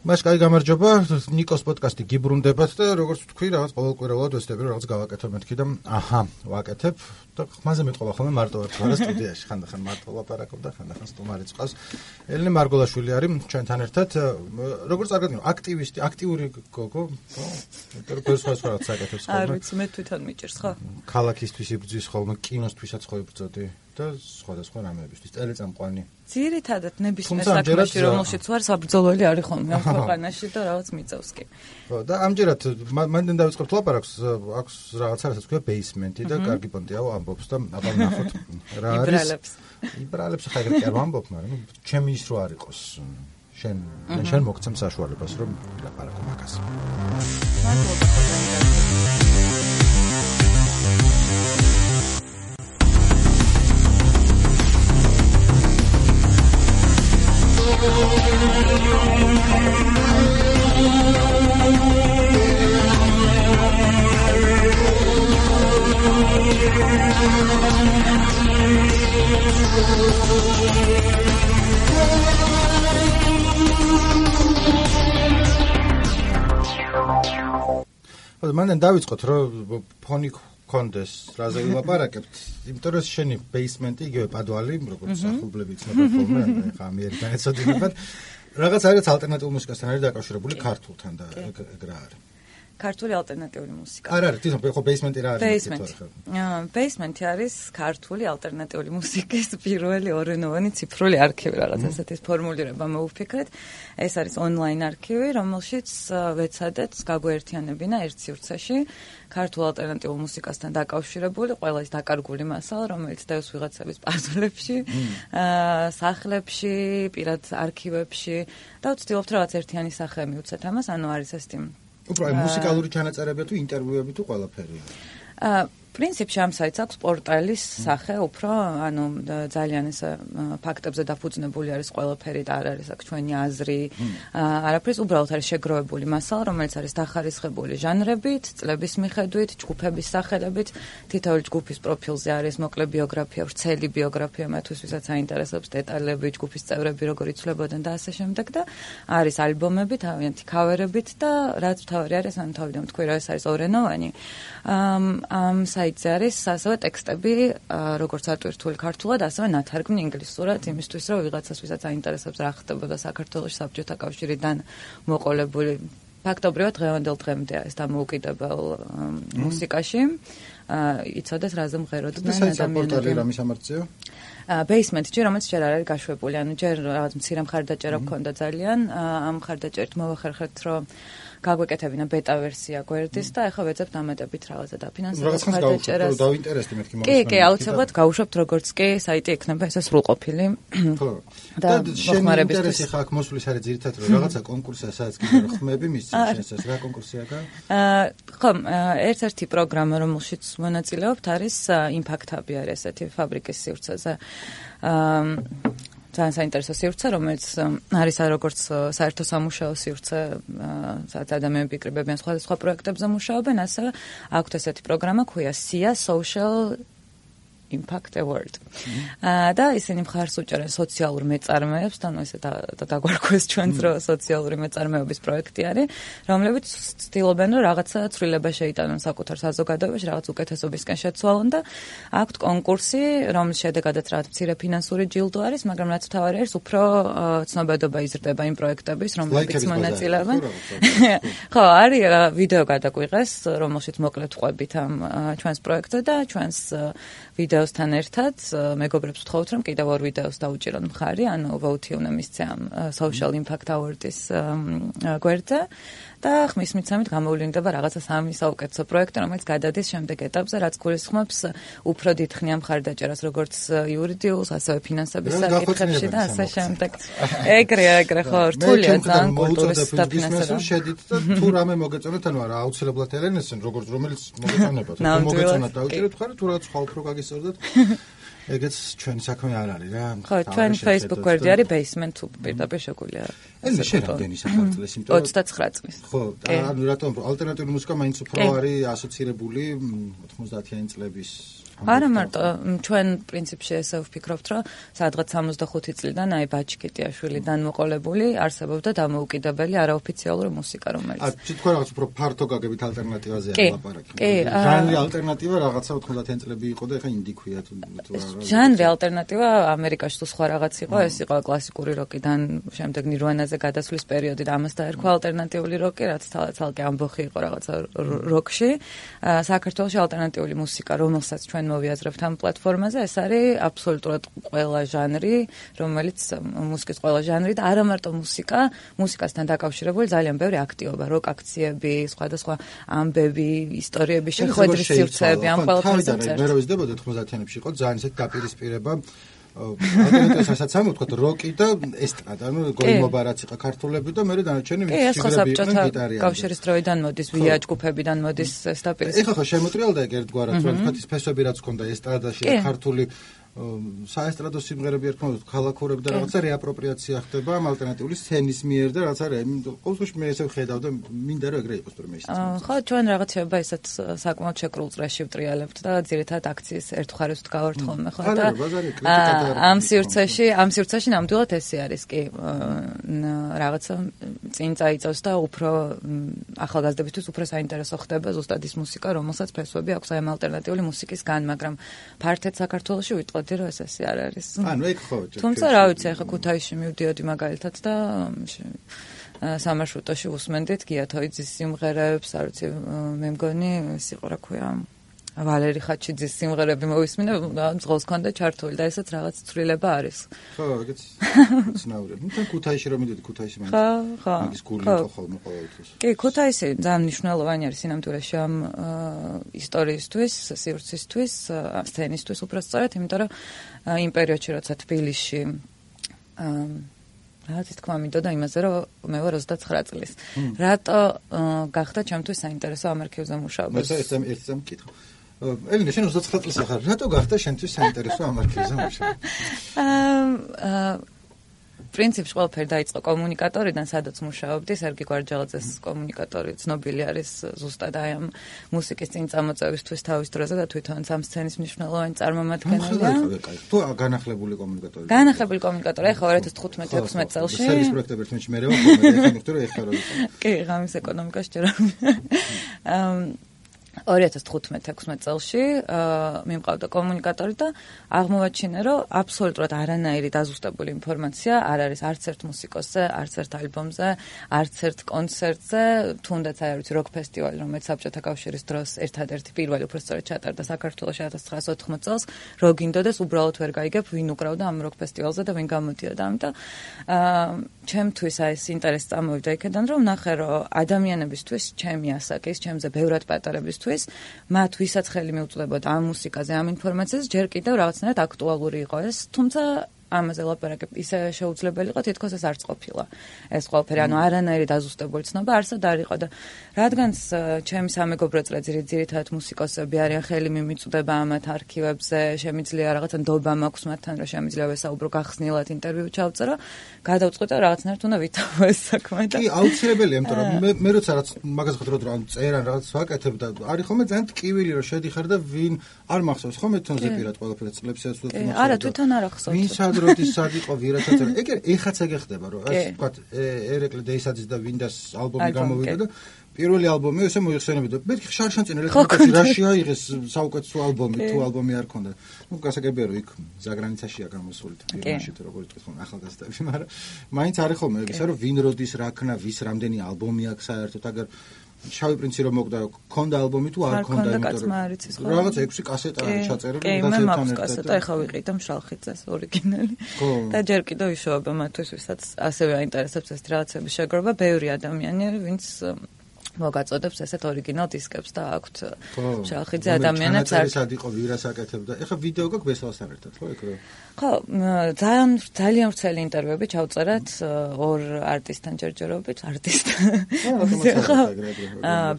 მას კაი გამარჯობა, ნიკოს პოდკასტი გიბრუნდებათ და როგორც ვთქვი, რაღაც ყოველკვირეულად ვესწრები რაღაც გავაკეთებ მეთქი და ვაკეთებ და ხმაზე მეტყობა ხოლმე მარტო ვარ ხარ სტუდიაში, ხანდახან მარტო ლაპარაკობ და ხანდახან სტუმარიც ყავს. ელენე მარგოლაშვილი არის ჩვენთან ერთად, როგორც წარგადგინო, აქტივისტი, აქტიური გოგო, ხო? სხვა რაღაც აკეთებს ხოლმე. არ ვიცი, მე თვითონ მიჭირს, ხო? ქალაქისთვის იბრძვის ხოლმე, კინოსთვისაც ხო იბრძოდი და სხვადასხვა რამეებისთვის, ტელეწამყვანი. ძირითადად ნებისმიერ საქმეში, რომელშიც ვარ, საბრძოლველი არის ხოლმე ამ ქვეყანაში და რაღაც მიწევს კი. ხო, და ამჯერად მანდ დავიწყებთ ლაპარაკს, აქვს რაღაცა, რასაც ქვია ბეისმენტი და კარგი პონტიაო ამბობს და აბა ნახოთ რა არის. იბრალებს ხა ეგრე კი არ ვამბობ, მაგრამ ჩემი ის რო არ იყოს. შენ მოგცემ საშუალებას რომ ლაპარაკო მაგას. მანდ დავიწყოთ რომ ფონი კონდეს რაზე ვილაპარაკებთ, იმიტომ რომ შენი ბეისმენტი იგივე პადვალი, როგორც ახალბლები იცნება ხოლმე, ხა ამერიკიდან ეცოდინებათ. რაღაც არის ალტერნატიულ მუსიკასთან არის დაკავშირებული ქართულთან და ეგ რა არის. ქართული ალტერნატიული მუსიკა. არ არის, თვითონ ხო ბეისმენტი რა არის? ბეისმენტი არის ქართული ალტერნატიული მუსიკის პირველი ორენოვანი ციფრული არქივი, რაღაც ასეთის ფორმულირება მოვიფიქრეთ. ეს არის ონლაინ არქივი, რომელშიც ვეცადეთ გაგვეერთიანებინა ერთ სივრცეში ქართულ ალტერნატიულ მუსიკასთან დაკავშირებული ყველა ის დაკარგული მასალა, რომელიც დევს ვიღაცების პაზლებში, სახლებში, პირად არქივებში და ვცდილობთ რაღაც ერთიანი სახე მივცეთ ამას, ანუ არის ეს უფრო მუსიკალური ჩანაწერები თუ ინტერვიუები თუ ყველაფერი. პრინციპში ამ საიტს აქვს პორტალის სახე, უფრო ანუ ძალიან ეს ფაქტებზე დაფუძნებული არის ყველაფერი და არ არის აქ ჩვენი აზრი, არაფრის, უბრალოდ არის შეგროვებული მასალა, რომელიც არის დახარისხებული ჟანრებით, წლების მიხედვით, ჯგუფების სახელებით, თითოეული ჯგუფის პროფილზე არის მოკლე ბიოგრაფია, ვრცელი ბიოგრაფია მათთვის, ვისაც აინტერესებს დეტალები, ჯგუფის წევრები როგორ იცვლებოდნენ და ასე შემდეგ და არის ალბომები, თავიანთი ქავერებით და რაც მთავარი არის, ანუ თავიდან ვთქვი, რომ ეს არის ორენოვანი. ამ საიტზე არის ასევე ტექსტები, როგორც ატვირთული ქართულად, ასევე ნათარგმნი ინგლისურად, იმისთვის, რომ ვიღაცას, ვისაც აინტერესებს რა ხდებოდა საქართველოში საბჭოთა კავშირიდან მოყოლებული. ფაქტობრივად დღევანდელ დღემდე ეს დამოუკიდებელ მუსიკაში იცოდეს რაზე მღეროდა ადამიანები. რა მისამართია? ბეისმენტი, რომელიც ჯერ არ არის გაშვებული, ანუ ჯერ რაღაც მცირე მხარდაჭერა გქონდა ძალიან, ამ მხარდაჭერით მოვახერხეთ, რომ გაგვეკეთებინა ბეტა ვერსია გვერდის და ახლა ვეძებთ ამეტებით რაღაცა დაფინანსებას მხარდაჭერას. დავინტერესდი მეთქი მომისმენთ. კი, აუცილებლად გავუშვებთ როგორც კი საიტი ექნება ესე სრულყოფილი. ხო. და შენი ინტერესი ხა აქ მოსulis არის ძირითადად რომ რაღაცა კონკურსია, სადაც კიდე ხმები მისცემს ეს რა კონკურსია? ხო, ერთ-ერთი პროგრამა, რომელშიც მონაწილეობთ, არის იმპაქტ ჰაბი არის ესეთი ფაბრიკის სივრცეზე. ძალიან საინტერესო სივრცე, რომელიც არის როგორც საერთო სამუშაო სივრცე, სადაც ადამიანები იკრიბებიან სხვადასხვა პროექტებზე მუშაობენ, ასევე აქვთ ესეთი პროგრამა, ქვია SIA Social Impact Award. და ისინი მხარს უჭერენ სოციალურ მეწარმეებს, ანუ ესე დაგვარქვეს ჩვენს რო სოციალური მეწარმეობის პროექტი არის, რომლებიც ცდილობენ რომ რაღაცა ცვლილება შეიტანონ საკუთარ საზოგადოებაში, რაღაც უკეთესობისკენ შეცვალონ და აქვთ კონკურსი, რომლის შედეგადაც რაღაც მცირე ფინანსური ჯილდო არის, მაგრამ რაც მთავარი არის, უფრო ცნობადობა იზრდება იმ პროექტების, რომლებიც მონაწილეობენ. ხო, არის ვიდეო გადაგვიღეს, რომელშიც მოკლედ ვყვებით ამ ჩვენს პროექტზე და ჩვენს ვიდეოსთან ერთად მეგობრებს ვთხოვთ, რომ კიდევ ორ ვიდეოს დაუჭირონ მხარი, ანუ vote უნდა მისცე ამ Social Impact Award-ის გვერდზე და ხმის მიცემით გამოვლინდება რაღაცა სამი საუკეთესო პროექტი, რომელიც გადადის შემდეგ ეტაპზე, რაც გულისხმობს უფრო დიდ ხნიან მხარდაჭერას, როგორც იურიდიულს, ასევე ფინანსების საკითხებში და ასე შემდეგ. ეგრე ხო, რთულია ძალიან კულტურის დაფინანსება. შედით და თუ რამე მოგეწონათ, ანუ არა აუცილებლად ელენესენ, როგორც რომელიც მოგეწონებათ. თუ მოგეწონათ დაუჭირეთ ხარ, თუ რაღაც სხვა უფრო გაგისწორდეთ. ეგეც ჩვენი საქმე არ არის რა. ხო, ჩვენ Facebook გვერდი არის basement თუ პირდაპირ შეგვიძლია. ეს შერამდენი საფრთხეს, იმიტომ რომ 29 წლის. ხო, ანუ რატომ ალტერნატიული მუსიკა მაინც უფრო არის ასოცირებული 90-იანი წლების არა მარტო ჩვენ პრინციპში ესე ვფიქრობთ, რომ სადღაც 65 წლიდან აი ბაჩკეტიაშვილიდან მოყოლებული არსებობდა დამოუკიდებელი არაოფიციალური მუსიკა, რომელიც თქვენ რაღაც უფრო ფართო გაგებით ალტერნატივაზე ალაპარაკი. ჟანრი ალტერნატივა რაღაცა 90-იან წლები იყო და ეხა ინდი ქვია თუ ჟანრი ალტერნატივა ამერიკაში თუ სხვა რაღაც იყო, ეს იყო კლასიკური როკიდან შემდეგ ნირვანაზე გადასვლის პერიოდი და ამას დაერქვა ალტერნატიული როკი, რაც თალკე ამბოხი იყო რაღაცა როკში. საქართველოში ალტერნატიული მუსიკა, რომელსაც ჩვენ მოვიაზრებთ ამ პლატფორმაზე, ეს არის აბსოლუტურად ყველა ჟანრი, რომელიც მუსიკის ყველა ჟანრი და არა მარტო მუსიკასთან დაკავშირებული ძალიან ბევრი აქტივობა, როკ აქციები, სხვადასხვა ამბები, ისტორიები, შეხვედრის სივრცეები, ამ ყველაფერზე წერს. მე რო ვიზრდებოდი 90-იანებში იყო ძალიან ისეთი დაპირისპირება ალტერნატივასაც ამოვთქვათ როკი და ესტრადა, ანუ გოიმობა რაც იყო ქართულები და მე დანარჩენი მუსიკები იყვნენ გიტარიანი. კავშირის დროიდან მოდის, ვია ჯგუფებიდან მოდის ეს დაპირისპირება. ეხლა ხო შემოტრიალდა ეგ ერთგვარად, რომ თქვათ ის ფესვები რაც ჰქონდა ესტრადაში და ქართული საესტრადო სიმღერები ერქვა ქალაქურები და რაღაცა რეაპროპრიაცია ხდება ამ ალტერნატიული სცენის მიერ და რაც არის ყოველთვის მე ესე ვხედავ და მინდა რომ ეგრე იყოს პრემიესიც. ხო, ჩვენ რაღაცეობა ისეთ საკმაოდ შეკრულ წრეში ვტრიალებთ და ძირითადად აქციის ერთ მხარეს ვდგავართ ხოლმე ხო და ამ სივრცეში ნამდვილად ესე არის კი რაღაცა წინ წაიწევს და უფრო ახალგაზრდებისთვის უფრო საინტერესო ხდება ზუსტად ის მუსიკა, რომელსაც ფესვები აქვს აი ამ ალტერნატიული მუსიკისგან, მაგრამ ფართედ საქართველოში ვიტყოდი რომ ეს ასე არ არის. ანუ ეგ ხო. თუმცა რა ვიცი, ახლა ქუთაისში მივდიოდი მაგალითად და სამარშრუტოში უსმენდით გიათოიძის სიმღერებს, არ ვიცი, მე მგონი ის იყო რა ქვია ვალერი ხაჩიძის სიმღერები მოვისმინე, ძღოლს ქონდა ჩართული და ესეც რაღაც ცვლილება არის. ხო, ეგეც ცნაურია. ნუ ქუთაისში რომ მიდიოდი ქუთაისში მაინც. ხო. მაგის გული იყო ხოლმე ყოველთვის. კი, ქუთაისი ძალიან მნიშვნელოვანი არის სინამდვილეში ამ ისტორიისთვის, სივრცისთვის, სცენისთვის უბრალოდ, იმიტომ რომ იმ პერიოდში როცა თბილისში რაც თქვა მინდოდა იმაზე რომ მე ვარ 29 წლის. რატო გახდა ჩემთვის საინტერესო ამ არქივზე მუშაობა? მე ერთ წამ მკითხო. ელინე, შენ 29 წლის ახარ, რატო გახდა შენთვის საინტერესო ამ არქივზე მუშაობა? პრინციპში ყველაფერი დაიწყო კომუნიკატორიდან, სადაც მუშაობდი, სერგი გვარჯალაძეს კომუნიკატორი ცნობილი არის ზუსტად აი ამ მუსიკის წინ წამოწევისთვის თავის დროზე და თვითონ ამ სცენის მნიშვნელოვანი წარმომადგენელია. თუ განახლებული კომუნიკატორი. განახლებული კომუნიკატორი, ახლა 2015-16 წელში. სერვის პროექტები ერთმანეთში მე რევა ხოლმე, ეხლა მიხდი რომ ეხლა რო იყო. კი, ღამის ეკონომიკაში ჯერ 2015-16 წელში მიმყავდა კომუნიკატორი და აღმოვაჩინე, რომ აბსოლუტურად არანაირი დაზუსტებული ინფორმაცია არ არის არც ერთ მუსიკოსზე, არც ერთ ალბომზე, არც ერთ კონცერტზე, თუნდაც აი ვიცი როკ ფესტივალი, რომელიც საბჭოთა კავშირის დროს ერთადერთი პირველი უბრალოდ ჩატარდა საქართველოში 1980 წელს, რო გინდოდეს უბრალოდ ვერ გაიგებ ვინ უკრავდა ამ როკ ფესტივალზე და ვინ გამოდიოდა, ამიტომ ჩემთვის აი ეს ინტერესი წამოვიდა იქიდან, რომ ნახე, რომ ადამიანებისთვის, ჩემი ასაკის, ჩემზე ბევრად პატარებისთვის მათ ვისაც ხელი მიუწვდებოდა ამ მუსიკაზე, ამ ინფორმაციაზე, ჯერ კიდევ რაღაცნაირად აქტუალური იყო ეს, თუმცა ამაზე ლაპარაკი ისე შეუძლებელი იყო, თითქოს ეს არც ყოფილა. ეს ყველაფერი, ანუ არანაირი დაზუსტებული ცნობა არსად არ იყო და რადგანაც ჩემი სამეგობრო წრე ძირითადად მუსიკოსები არიან, ხელი მიმიწვდება ამათ არქივებზე, შემიძლია რაღაცა ნდობა მაქვს მათთან, რომ შემიძლია ვესაუბრო გახსნილად ინტერვიუ ჩავწერო, გადავწყვიტე რაღაცნაირად უნდა ვითავო ეს საქმე და კი, აუცილებელია, იმიტომ რომ მე როცა რაც მაგას ხედავ რომ წერან რაღაც ვაკეთებ და არის ხოლმე ძალიან ტკივილი რომ შედიხარ და ვინ არ მახსოვს ხოლმე თონზე პირად ყველაფერს წლებსაც თუ თვითონ არა, თვითონ არ ახსოვს. ვინ როდის სად იყო ვირასაც ეგ ეხაც ეგ ხდება რომ ასე ვთქვათ ერეკლე დეისაძის და ვინდას ალბომი გამოვიდა და პირველი ალბომი ესე მოიხსენებოდა და მეთქი შარშანწინ ელექტრონიკაში რაში აიღეს საუკეთესო ალბომი თუ ალბომი არ ქონდა ნუ გასაგებია რომ იქ ზაგრანიცაშია გამოსული თბილისში თუ როგორ იტყვით ხოლმე ახალგაზრდები მაგრამ მაინც არის ხოლმე ეგ ისე რომ ვინ როდის რა ქნა ვის რამდენი ალბომი აქვს საერთოდ აგერ შავი პრინცი რომ მოგდა ქონდა ალბომი თუ არ ქონდა იმიტომ რომ რაღაც 6 კასეტა არის ჩაწერილი და მე მაქვს კასეტა ეხა ვიყიდე მშალხიძეს ორიგინალი და ჯერ კიდევ იშოვება მათთვის ვისაც ასევე აინტერესებს ეს რაღაცების შეგროვა ბევრი ადამიანი ვინც მოგაწოდებს ესეთ ორიგინალ დისკებს და აქვთ მშალხიძე ადამიანებს არ სად იყო ვირას აკეთებდა ეხა ვიდეო გაქვს ბესალასთან ერთად ხო ეგ ხო ძალიან ვრცელი ინტერვიუები ჩავწერეთ ორ არტისტთან ჯერჯერობით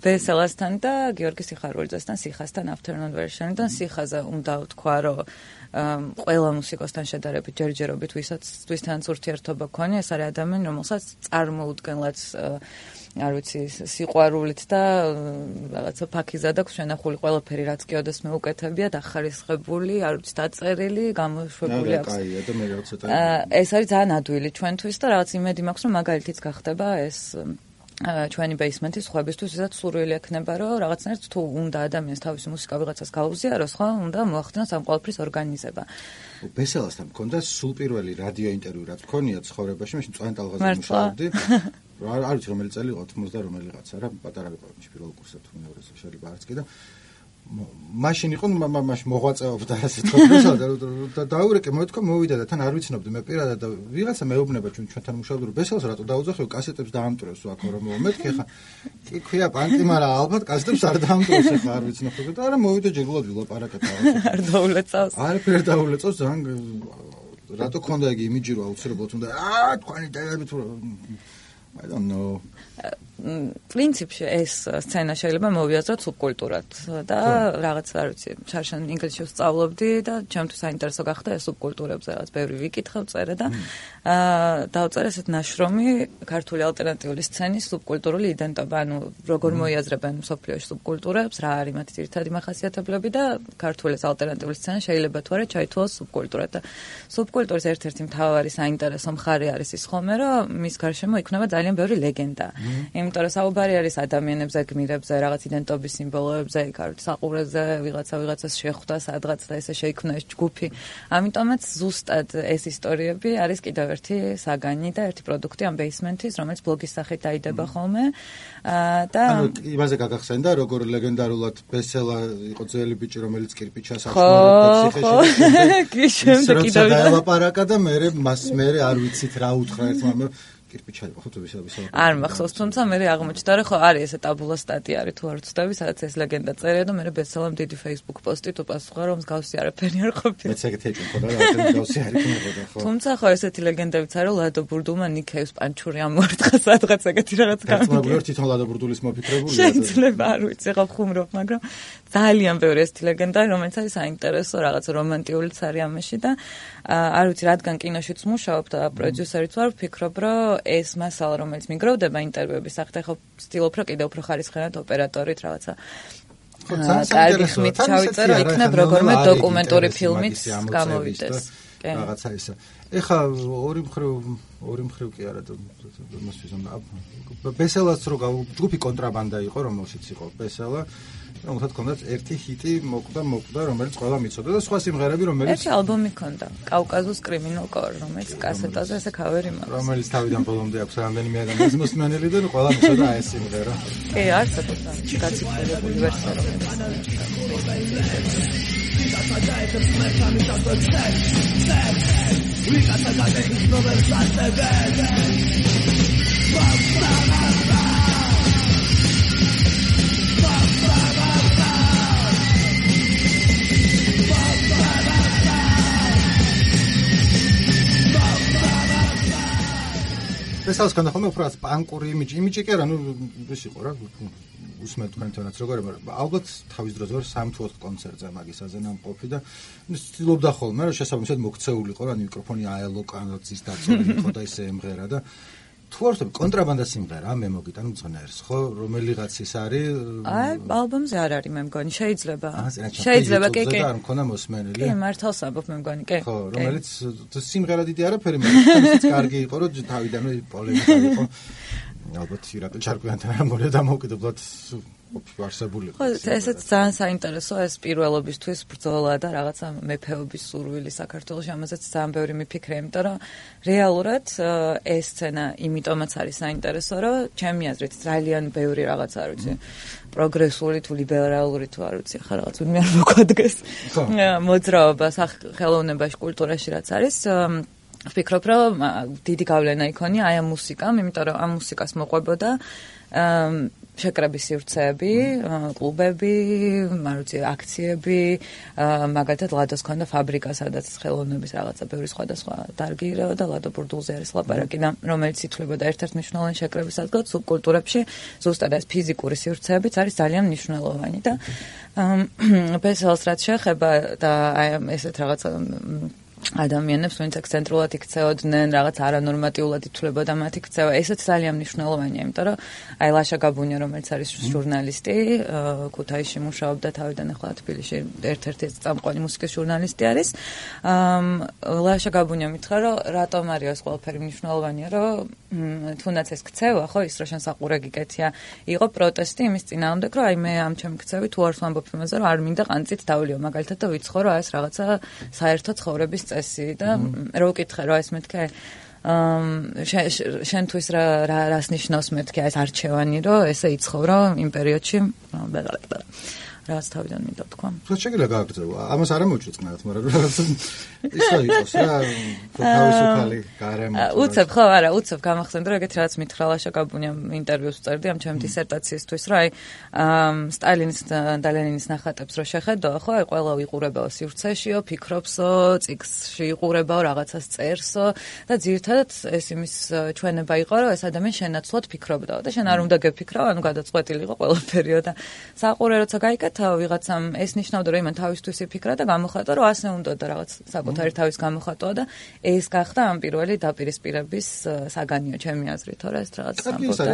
ბესალასთან და გიორგი სიხარულიძესთან სიხასთან afternoon version-დან სიხაზე უნდა ვთქვა რომ ყველა მუსიკოსთან შედარებით ჯერჯერობით ვისთანაც ურთიერთობა გქონია ეს არის ადამიანი რომელსაც წარმოუდგენლად არ ვიცი სიყვარული სიყვარულით და რაღაცა ფაქიზად აქვს შენახული ყველაფერი, რაც კი ოდესმე უკეთებია, დახარისხებული, არ ვიცი, დაწერილი, გამოშვებული აქვს. კაია და მე რაღაცა ეს არის ძალიან ადვილი ჩვენთვის და რაღაც იმედი მაქვს, რომ მაგალითიც გახდება ეს ჩვენი ბეისმენტის ხვებისთვის, ვისაც სურვილი ექნება, რომ რაღაცნაირად თუ უნდა ადამიანს თავისი მუსიკა ვიღაცას გაუზიაროს, ხო, უნდა მოახდინოს ამ ყველაფრის ორგანიზება. ბესელასთან მქონდა სულ პირველი რადიო ინტერვიუ, რაც მქონია ცხოვრებაში, მაშინ წვენ ტალღაზე მუშაობდი. არ ვიცი რომელი წელი იყო, 90 რომელიღაცა რა, პატარა ვიყავ პირველ კურსად თუ მეორეზე შეიძლება არც კი და მაშინ იყო მაშინ მოღვაწეობდა ასე თქვა და დაურეკე მოეთქვა მოვიდა და თან არ ვიცნობდი მე პირადად და ვიღაცა მეუბნება ჩვენთან მუშაობდა რომ ბესელს რატო დაუძახეო კასეტებს დაამტვრევს აქ რომ მეთქე ხა კი ქვია პანკი მაგრამ ალბათ კასეტებს არ დაამტვრევს ხა არ ვიცნობდი და არა მოვიდა ჯერულად ვილაპარაკეთ არ დაულეწავს არაფერ დაულეწავს ძალიან რატო ქონდა იგი იმიჯი რომ აუცილებლად უნდა თქვენი დაერები თუ I don't know. პრინციპში ეს სცენა შეიძლება მოვიაზროთ სუბკულტურად და რაღაც არ ვიცი, შარშან ინგლისში ვსწავლობდი და ჩემთვის საინტერესო გახდა ეს სუბკულტურებზე რაღაც ბევრი ვიკითხავ, წერე და დავწერე ესეთ ნაშრომი ქართული ალტერნატიული სცენის სუბკულტურული იდენტობა, ანუ როგორ მოიაზრებენ მსოფლიოში სუბკულტურებს, რა არის მათი ძირითადი მახასიათებლები და ქართული ალტერნატიული სცენა შეიძლება თუ არა ჩაითვალოს სუბკულტურად და სუბკულტურის ერთ-ერთი მთავარი საინტერესო მხარე არის ის ხოლმე, რომ მის გარშემო იქნება ძალიან ბევრი ლეგენდა. იმიტომ რომ საუბარი არის ადამიანებზე, გმირებზე, რაღაც იდენტობის სიმბოლოებზე, იქ არის საყურეზე, ვიღაცას შეხვდა სადღაც და ესე შეიქმნა ეს ჯგუფი. ამიტომაც ზუსტად ეს ისტორიები არის კიდევ ერთი საგანი და ერთი პროდუქტი ამ ბეისმენტის, რომელიც ბლოგის სახით დაიდება ხოლმე. და იმაზე გაგახსენდა, როგორ ლეგენდარულად ბესელა იყო ძველი ბიჭი, რომელიც კირპიჩას ახმარებდა ციხეში. კი, შემდეგ კიდევ დაელაპარაკა და მე არ ვიცით რა უთხრა ერთმანეთს. კირპიჩა იყო ხო თუ ვისაუბრე. არ მახსოვს, თუმცა მე აღმოჩნდა რომ ხო არის ესე ტაბულა სტატია არის თუ არ ვცდები, სადაც ეს ლეგენდა წერია და მე ბესელამ დიდი Facebook პოსტი თუ პასუხა რომ მსგავსი არაფერი არ ყოფილა. მეც ეგეთი იყო და რა მსგავსი არ იქნებოდა ხო. თუმცა ხო ესეთი ლეგენდებიც არის რომ ლადო ბურდულმა ნიქეევს პანჩური ამოარტყა სადღაც ეგეთი რაღაც გამიგე. მაგრამ თვითონ ლადო ბურდულის მოფიქრებულია. შეიძლება არ ვიცი, ხო ხუმრობ, მაგრამ ძალიან ბევრი ესეთი ლეგენდა რომელიც არის საინტერესო, რაღაც რომანტიულიც არის ამაში და არ ვიცი რადგან კინოშიც მუშაობ და პროდიუსერიც ვარ, ვფიქრობ რომ ეს მასალა რომელიც მიგროვდება ინტერვიუების სახით, ხო ვცდილობ რომ კიდევ უფრო ხარისხიანად ოპერატორით რაღაცა კარგი ხმით ჩავიწერო, იქნებ როგორმე დოკუმენტური ფილმიც გამოვიდეს. რაღაცა ისა. ეხა ორი მხრივ კი არა ბესელას რო ჯგუფი კონტრაბანდა იყო, რომელშიც იყო ბესელა, რომელსაც ჰქონდათ ერთი ჰიტი მოკვდა, რომელიც ყველა მიცოდა და სხვა სიმღერები, რომელიც ერთი ალბომი ჰქონდა, კავკაზუს კრიმინალ კორ, რომელიც კასეტაზე ესე ქავერი მაქვს. რომელიც თავიდან ბოლომდე აქვს რამდენიმე ადამიანის მოსმენელი და ყველა მიცოდა ეს სიმღერა. კი, არც აკეთებდა გაციფრებული ვერსია რომელიც ბესელს ქონდა ხოლმე უფრო პანკური იმიჯი კი არა, ნუ ის იყო რა, უსმენთ თქვენთანაც როგორ, მაგრამ ალბათ თავის დროზე ვარ 3 თუ 4 კონცერტზე მაგისაზე ნამყოფი და ცდილობდა ხოლმე რომ შესაბამისად მოქცეულიყო რა მიკროფონი აელო კანოძის დაწოლილი იყო და ისე ემღერა და თუ არ ვთქვი კონტრაბანდა სიმღერა მე მოგიტან მძღნერს ხო რომელიღაც ის არის აი ალბომზე არ არის მე მგონი შეიძლება კი არ მქონა მოსმენელი კი მართალს ამბობ მე მგონი კი ხო რომელიც სიმღერა დიდი არაფერი მაგრამ ისიც კარგი იყო რომ თავიდანვე პოლემიკა იყო ალბათ ირაკლი ჩარკვიანთან არ მოვიდა დამოუკიდებლად ვარსებულიყო. ხო, ესეც ძალიან საინტერესოა ეს პირველობისთვის ბრძოლა და რაღაცა მეფეობის სურვილი საქართველოში, ამაზეც ძალიან ბევრი მიფიქრე, იმიტომ რომ რეალურად ეს სცენა იმიტომაც არის საინტერესო, რომ ჩემი აზრით ძალიან ბევრი რაღაც არ ვიცი, პროგრესული თუ ლიბერალური თუ არ ვიცი, ხა რაღაც ვინმე არ მოგვადგეს. მოძრაობა ხელოვნებაში, კულტურაში რაც არის ვფიქრობ, რომ დიდი გავლენა იქონია აი ამ მუსიკამ, იმიტომ რომ ამ მუსიკას მოყვებოდა შეკრების სივრცეები, კლუბები, არ ვიცი, აქციები, მაგალითად ლადოს ქონდა ფაბრიკა, სადაც ხელოვნების რაღაცა ბევრი სხვადასხვა დარგი ირეოდა, ლადო ბურდულზე არის ლაპარაკი და რომელიც ითვლებოდა ერთ-ერთ მნიშვნელოვანი შეკრების ადგილად სუბკულტურებში, ზუსტად ეს ფიზიკური სივრცეებიც არის ძალიან მნიშვნელოვანი და ბესელს რაც შეეხება და აი ესეთ რაღაცა ადამიანებს, ვინც ექსცენტრულად იქცეოდნენ, რაღაც არანორმატიულად ითვლებოდა მათი ქცევა. ესეც ძალიან მნიშვნელოვანია, იმიტომ რომ აი ლაშა გაბუნია, რომელიც არის ჟურნალისტი, ქუთაისში მუშაობდა თავიდან, ახლა თბილისში ერთ-ერთი წამყვანი მუსიკის ჟურნალისტი არის. ლაშა გაბუნია მითხრა, რომ რატომ არის ეს ყველაფერი მნიშვნელოვანია, რომ თუნდაც ეს ქცევა, ხო, ის რა შენსაყურე გიკეთია, იყო პროტესტი იმის წინააღმდეგ, რომ აი მე ამ ჩემი ქცევით თუ არს ვამბობ იმაზე, რომ არ მინდა ყანწით დავლიო, მაგალითად და ვიცხოვრო ეს რაღაცა საერთო ცხოვრების წესი და რო ვკითხე რა ეს მეთქე შენთვის რას ნიშნავს მეთქე ეს არჩევანი რომ ესე იცხოვრო იმ პერიოდში ბეღალაკდა რაც თავიდან მინდა თქვა. შეიძლება გააგრძელო. ამას არ ამოჭრიწყნათ, მაგრამ რაღაც ისე იყოს რა, თავისუფალი გარემო. უცებ ხო, არა, უცებ გამახსენდა რომ ეგეთ რაც მითხრა ლაშა გაბუნიამ ინტერვიუს წერდი ამ ჩემი დისერტაციისთვის, რომ აი სტალინის და ლენინის ნახატებს რო შეხედო, ხო, აი ყველა ვიყურებაო სივრცეშიო, ფიქრობსო, წიგნში იყურებაო, რაღაცას წერსო და ძირთადად ეს იმის ჩვენება იყო, რომ ეს ადამიანი შენაცვლად ფიქრობდაო და შენ არ უნდა გეფიქრაო, ანუ გადაწყვეტილი იყო ყველაფერი და საყურე როცა გაიკეთე ვიღაცამ ეს ნიშნავდა რომ იმან თავისთვის იფიქრა და გამოხატა რომ ასე უნდა და რაღაც საკუთარი თავის გამოხატვა და ეს გახდა ამ პირველი დაპირისპირების საგანიო ჩემი აზრით, თორე ეს რაღაც სამბობდა.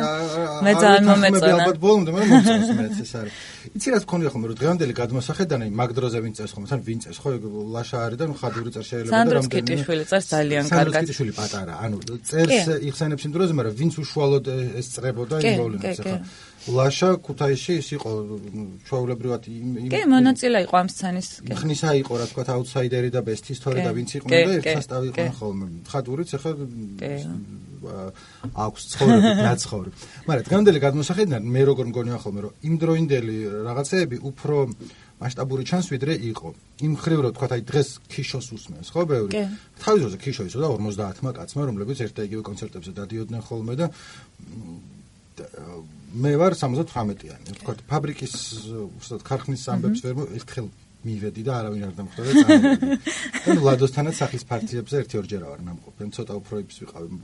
მე ძალიან მომეწონა. ალბათ ბოლომდე მაგრამ მომწონს მეც ეს არის. იცი რა თქონია ხომ რომ დღევანდელი გადმოსახედანი მაგ დროზე ვინ წერს ხომ, თან ვინ წერს ხო ლაშა არის და ხადური წერს შეიძლება და რამდენი სანდროსკიტიშვილი წერს ძალიან კარგად. სანდროსკიტიშვილი პატარა, ანუ წერს იხსენებს იმ დროზე, მაგრამ ვინც უშუალოდ ეს წერებოდა იმ მოვლენებს ახლა ლაშა ქუთაისში ის იყო ჩვეულებრივად კი მონაწილე იყო ამ სცენის ხნისა იყო რა თქვა აუტსაიდერი და ბესტის თორე და ვინც იყვნენ და ერთ სასტავი იყვნენ ხოლმე ხადურიც ახლა აქვს ცხოვრებით ნაცხოვრებ მაგრამ დღევანდელი გადმოსახედიდან მე როგორ მგონია ხოლმე რომ იმ დროინდელი რაღაცეები უფრო მასშტაბური ჩანს ვიდრე იყო იმ ხრივ რომ თქვა აი დღეს ქიშოს უსმენს ხო ბევრი თავის დროზე ქიშო ისო და 50-მა კაცმა რომლებიც ერთ და იგივე კონცერტებზე დადიოდნენ ხოლმე და მე ვარ 78-იანი. ვთქვათ, ფაბრიკის უბრალოდ ქარხნის ამბებს ვერ ერთხელ მივედი და არავინ არ დამხვდა და წავედი. ანუ ლადოსთანაც სახლის პარტიებზე ერთი-ორჯერ ვარ ნამყოფენ, ცოტა უფროებს ვიყავი.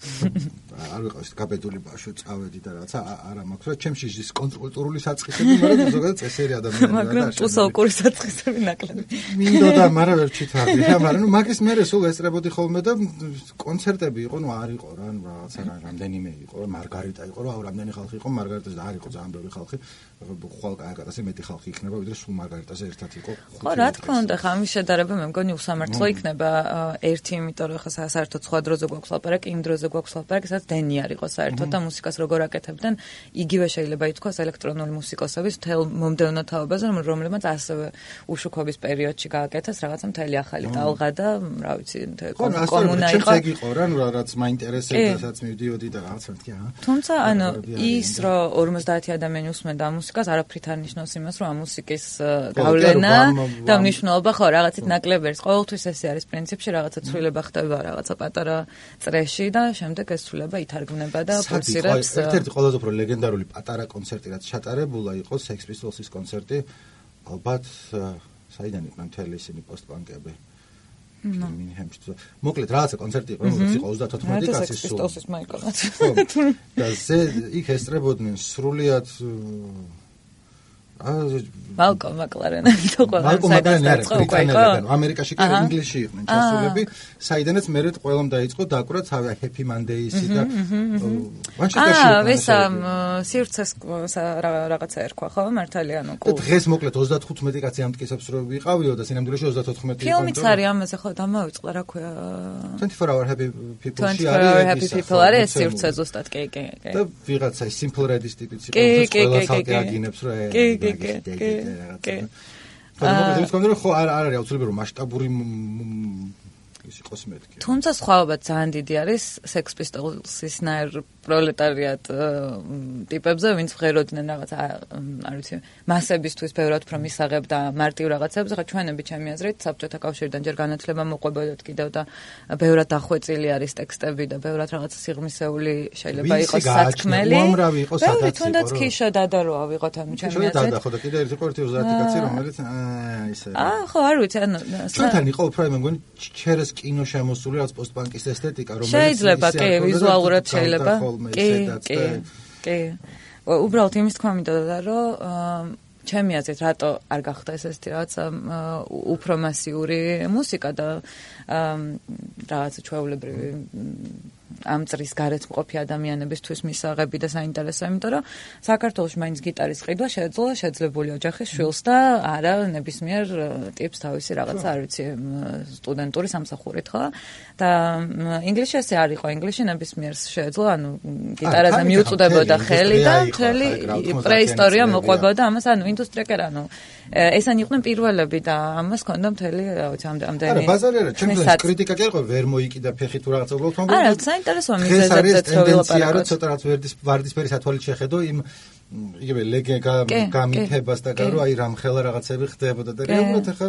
არ ვიყავს გაბედული ბავშვი წავედი და რაღაცა არა მაქვს რა ჩემში ის კონტრკულტურული საწყისები მაგრამ ზოგადად წესერი ადამიანია და მაგრამ უსაუკური საწყისები ნაკლები მინდოდა მაგრამ ვერ ჩითარდი რა მაგრამ ნუ მაგის მერე სულ ესწრებოდი ხოლმე და კონცერტები იყო ნუ არ იყო რა რაღაცა რამდენიმე იყო მარგარიტა იყო რა რამდენი ხალხი იყო მარგარიტაზე და არ იყო ძალიან ბევრი ხალხი ხვალ კაკატაზე მეტი ხალხი იქნება ვიდრე სულ მარგარიტაზე ერთად იყო ხო რა თქმა უნდა ხა ამის შედარება მე მგონი უსამართლო იქნება ერთი იმიტომ რომ ხა საერთოდ სხვა დროზე გვაქვს ლაპარაკი იმ დროზე გვაქვს ლაპარაკი სადაც დენი არ იყო საერთოდ და მუსიკას როგორ აკეთებდნენ იგივე შეიძლება ითქვას ელექტრონული მუსიკოსების მთელ მომდევნო თაობაზე რომლებმაც ასევე უშუქობის პერიოდში გააკეთეს რაღაცა მთელი ახალი ტალღა და რა ვიცი კომუნა იყო ეგ იყო რა ნუ რაც მაინტერესებდა სადაც მივდიოდი და რაღაცა მეთქი თუმცა ანუ ის რომ 50 ადამიანი უსმენდა ამ მუსიკას არაფრით არ ნიშნავს იმას რომ ამ მუსიკის გავლენა და მნიშვნელობა ხო რაღაცით ნაკლები არის ყოველთვის ესე არის პრინციპში რაღაცა ცვლილება ხდება რაღაცა პატარა წრეში და შემდეგ ეს ცვლილება ითარგმნება და ფორსირებს ერთ-ერთი ყველაზე უფრო ლეგენდარული პატარა კონცერტი რაც ჩატარებულა იყო Sex Pistols-ის კონცერტი ალბათ საიდან იყვნენ მთელი ისინი პოსტპანკები მინჰემში მოკლედ რაღაცა კონცერტი იყო რომელიც იყო 34 კაცის სულ Pistols-ის მაიკონაც და იქ ესწრებოდნენ სრულიად Malcolm McLaren თო ყველა ამერიკაში კი ინგლისში იყვნენ ჩასულები საიდანაც მერე ყველამ დაიწყო დაკვრა თავი Happy Monday-ისი და ვისა სივრცეს რაღაცა ერქვა ხო მართალია ანუ დღეს მოკლედ 35 კაცი ამტკიცებს რომ ვიყავიო და სინამდვილეში 34 იყო ფილმიც არის ამაზე ხო დამავიწყდა რა ქვია 24 Hour Happy People-ში არის სივრცე ზუსტად კი და ვიღაცა Simple Red-ის ტიპიც იყო ყველა ხალხი აგინებს რომ კი. ხო არ არის აუცილებელი რომ მასშტაბური ის იყოს მეთქი. თუმცა სხვაობა ძალიან დიდი არის Sex Pistols-ის ნაირ პროლეტარიატ ტიპებზე, ვინც ღეროდნენ რაღაც არ ვიცი, მასებისთვის ბევრად უფრო მისაღებდა მარტივ რაღაცებს, ხა ჩვენები ჩემი აზრით საბჭოთა კავშირიდან ჯერ განათლება მოყვებოდათ კიდევ და ბევრად დახვეწილი არის ტექსტები და ბევრად რაღაცა სიღრმისეული შეიძლება იყოს სათქმელი. უამრავი იყო სადაც იყო. თუნდაც ქიშა დადაროა ვიღოთ ანუ ჩემი აზრით. დადა ხო და კიდე ერთი ყურთი 30 კაცი რომელიც ისე. ხო არ ვიცი ანუ ჩვენთან იყო უფრო მე მგონი ჩერეს კინო შემოსული რაც პოსტპანკის ესთეტიკა რომელიც შეიძლება კი ვიზუალურად შეიძლება კი უბრალოდ იმის თქვა მინდოდა რომ ჩემი აზრით, რატო არ გახდა ესეთი რაღაცა უფრო მასიური მუსიკა და რაღაცა ჩვეულებრივი ამ წრის გარეთ მყოფი ადამიანებისთვის მისაღები და საინტერესო, იმიტომ რომ საქართველოში მაინც გიტარის ყიდვა შეძლებული ოჯახის შვილს და არა ნებისმიერ ტიპს თავისი რაღაცა, არ ვიცი, სტუდენტური სამსახურით, ხო? და ინგლისში ესე არ იყო, ინგლისში ნებისმიერს შეეძლო, ანუ გიტარაზე მიუწვდებოდა ხელი და მთელი პრეისტორია მოყვებოდა ამას, ანუ ინდუსტრია კი არა, ანუ ესენი იყვნენ პირველები და ამას ჰქონდა მთელი, რა ვიცი, ამდენი. არა, ბაზარი არა, ჩემთვის კრიტიკა კი იყო, ვერ მოიკიდა ფეხი თუ რაღაცა უბრალოდ თქო. არა, საინტერესოა მიზეზებზეც ვილაპარაკოთ. ცოტა რაც ვარდისფერი სათვალით შეხედო იმ იგივე გამიფებას და გარო აი რამხელა რაღაცები ხდებოდა და რეალურად ახლა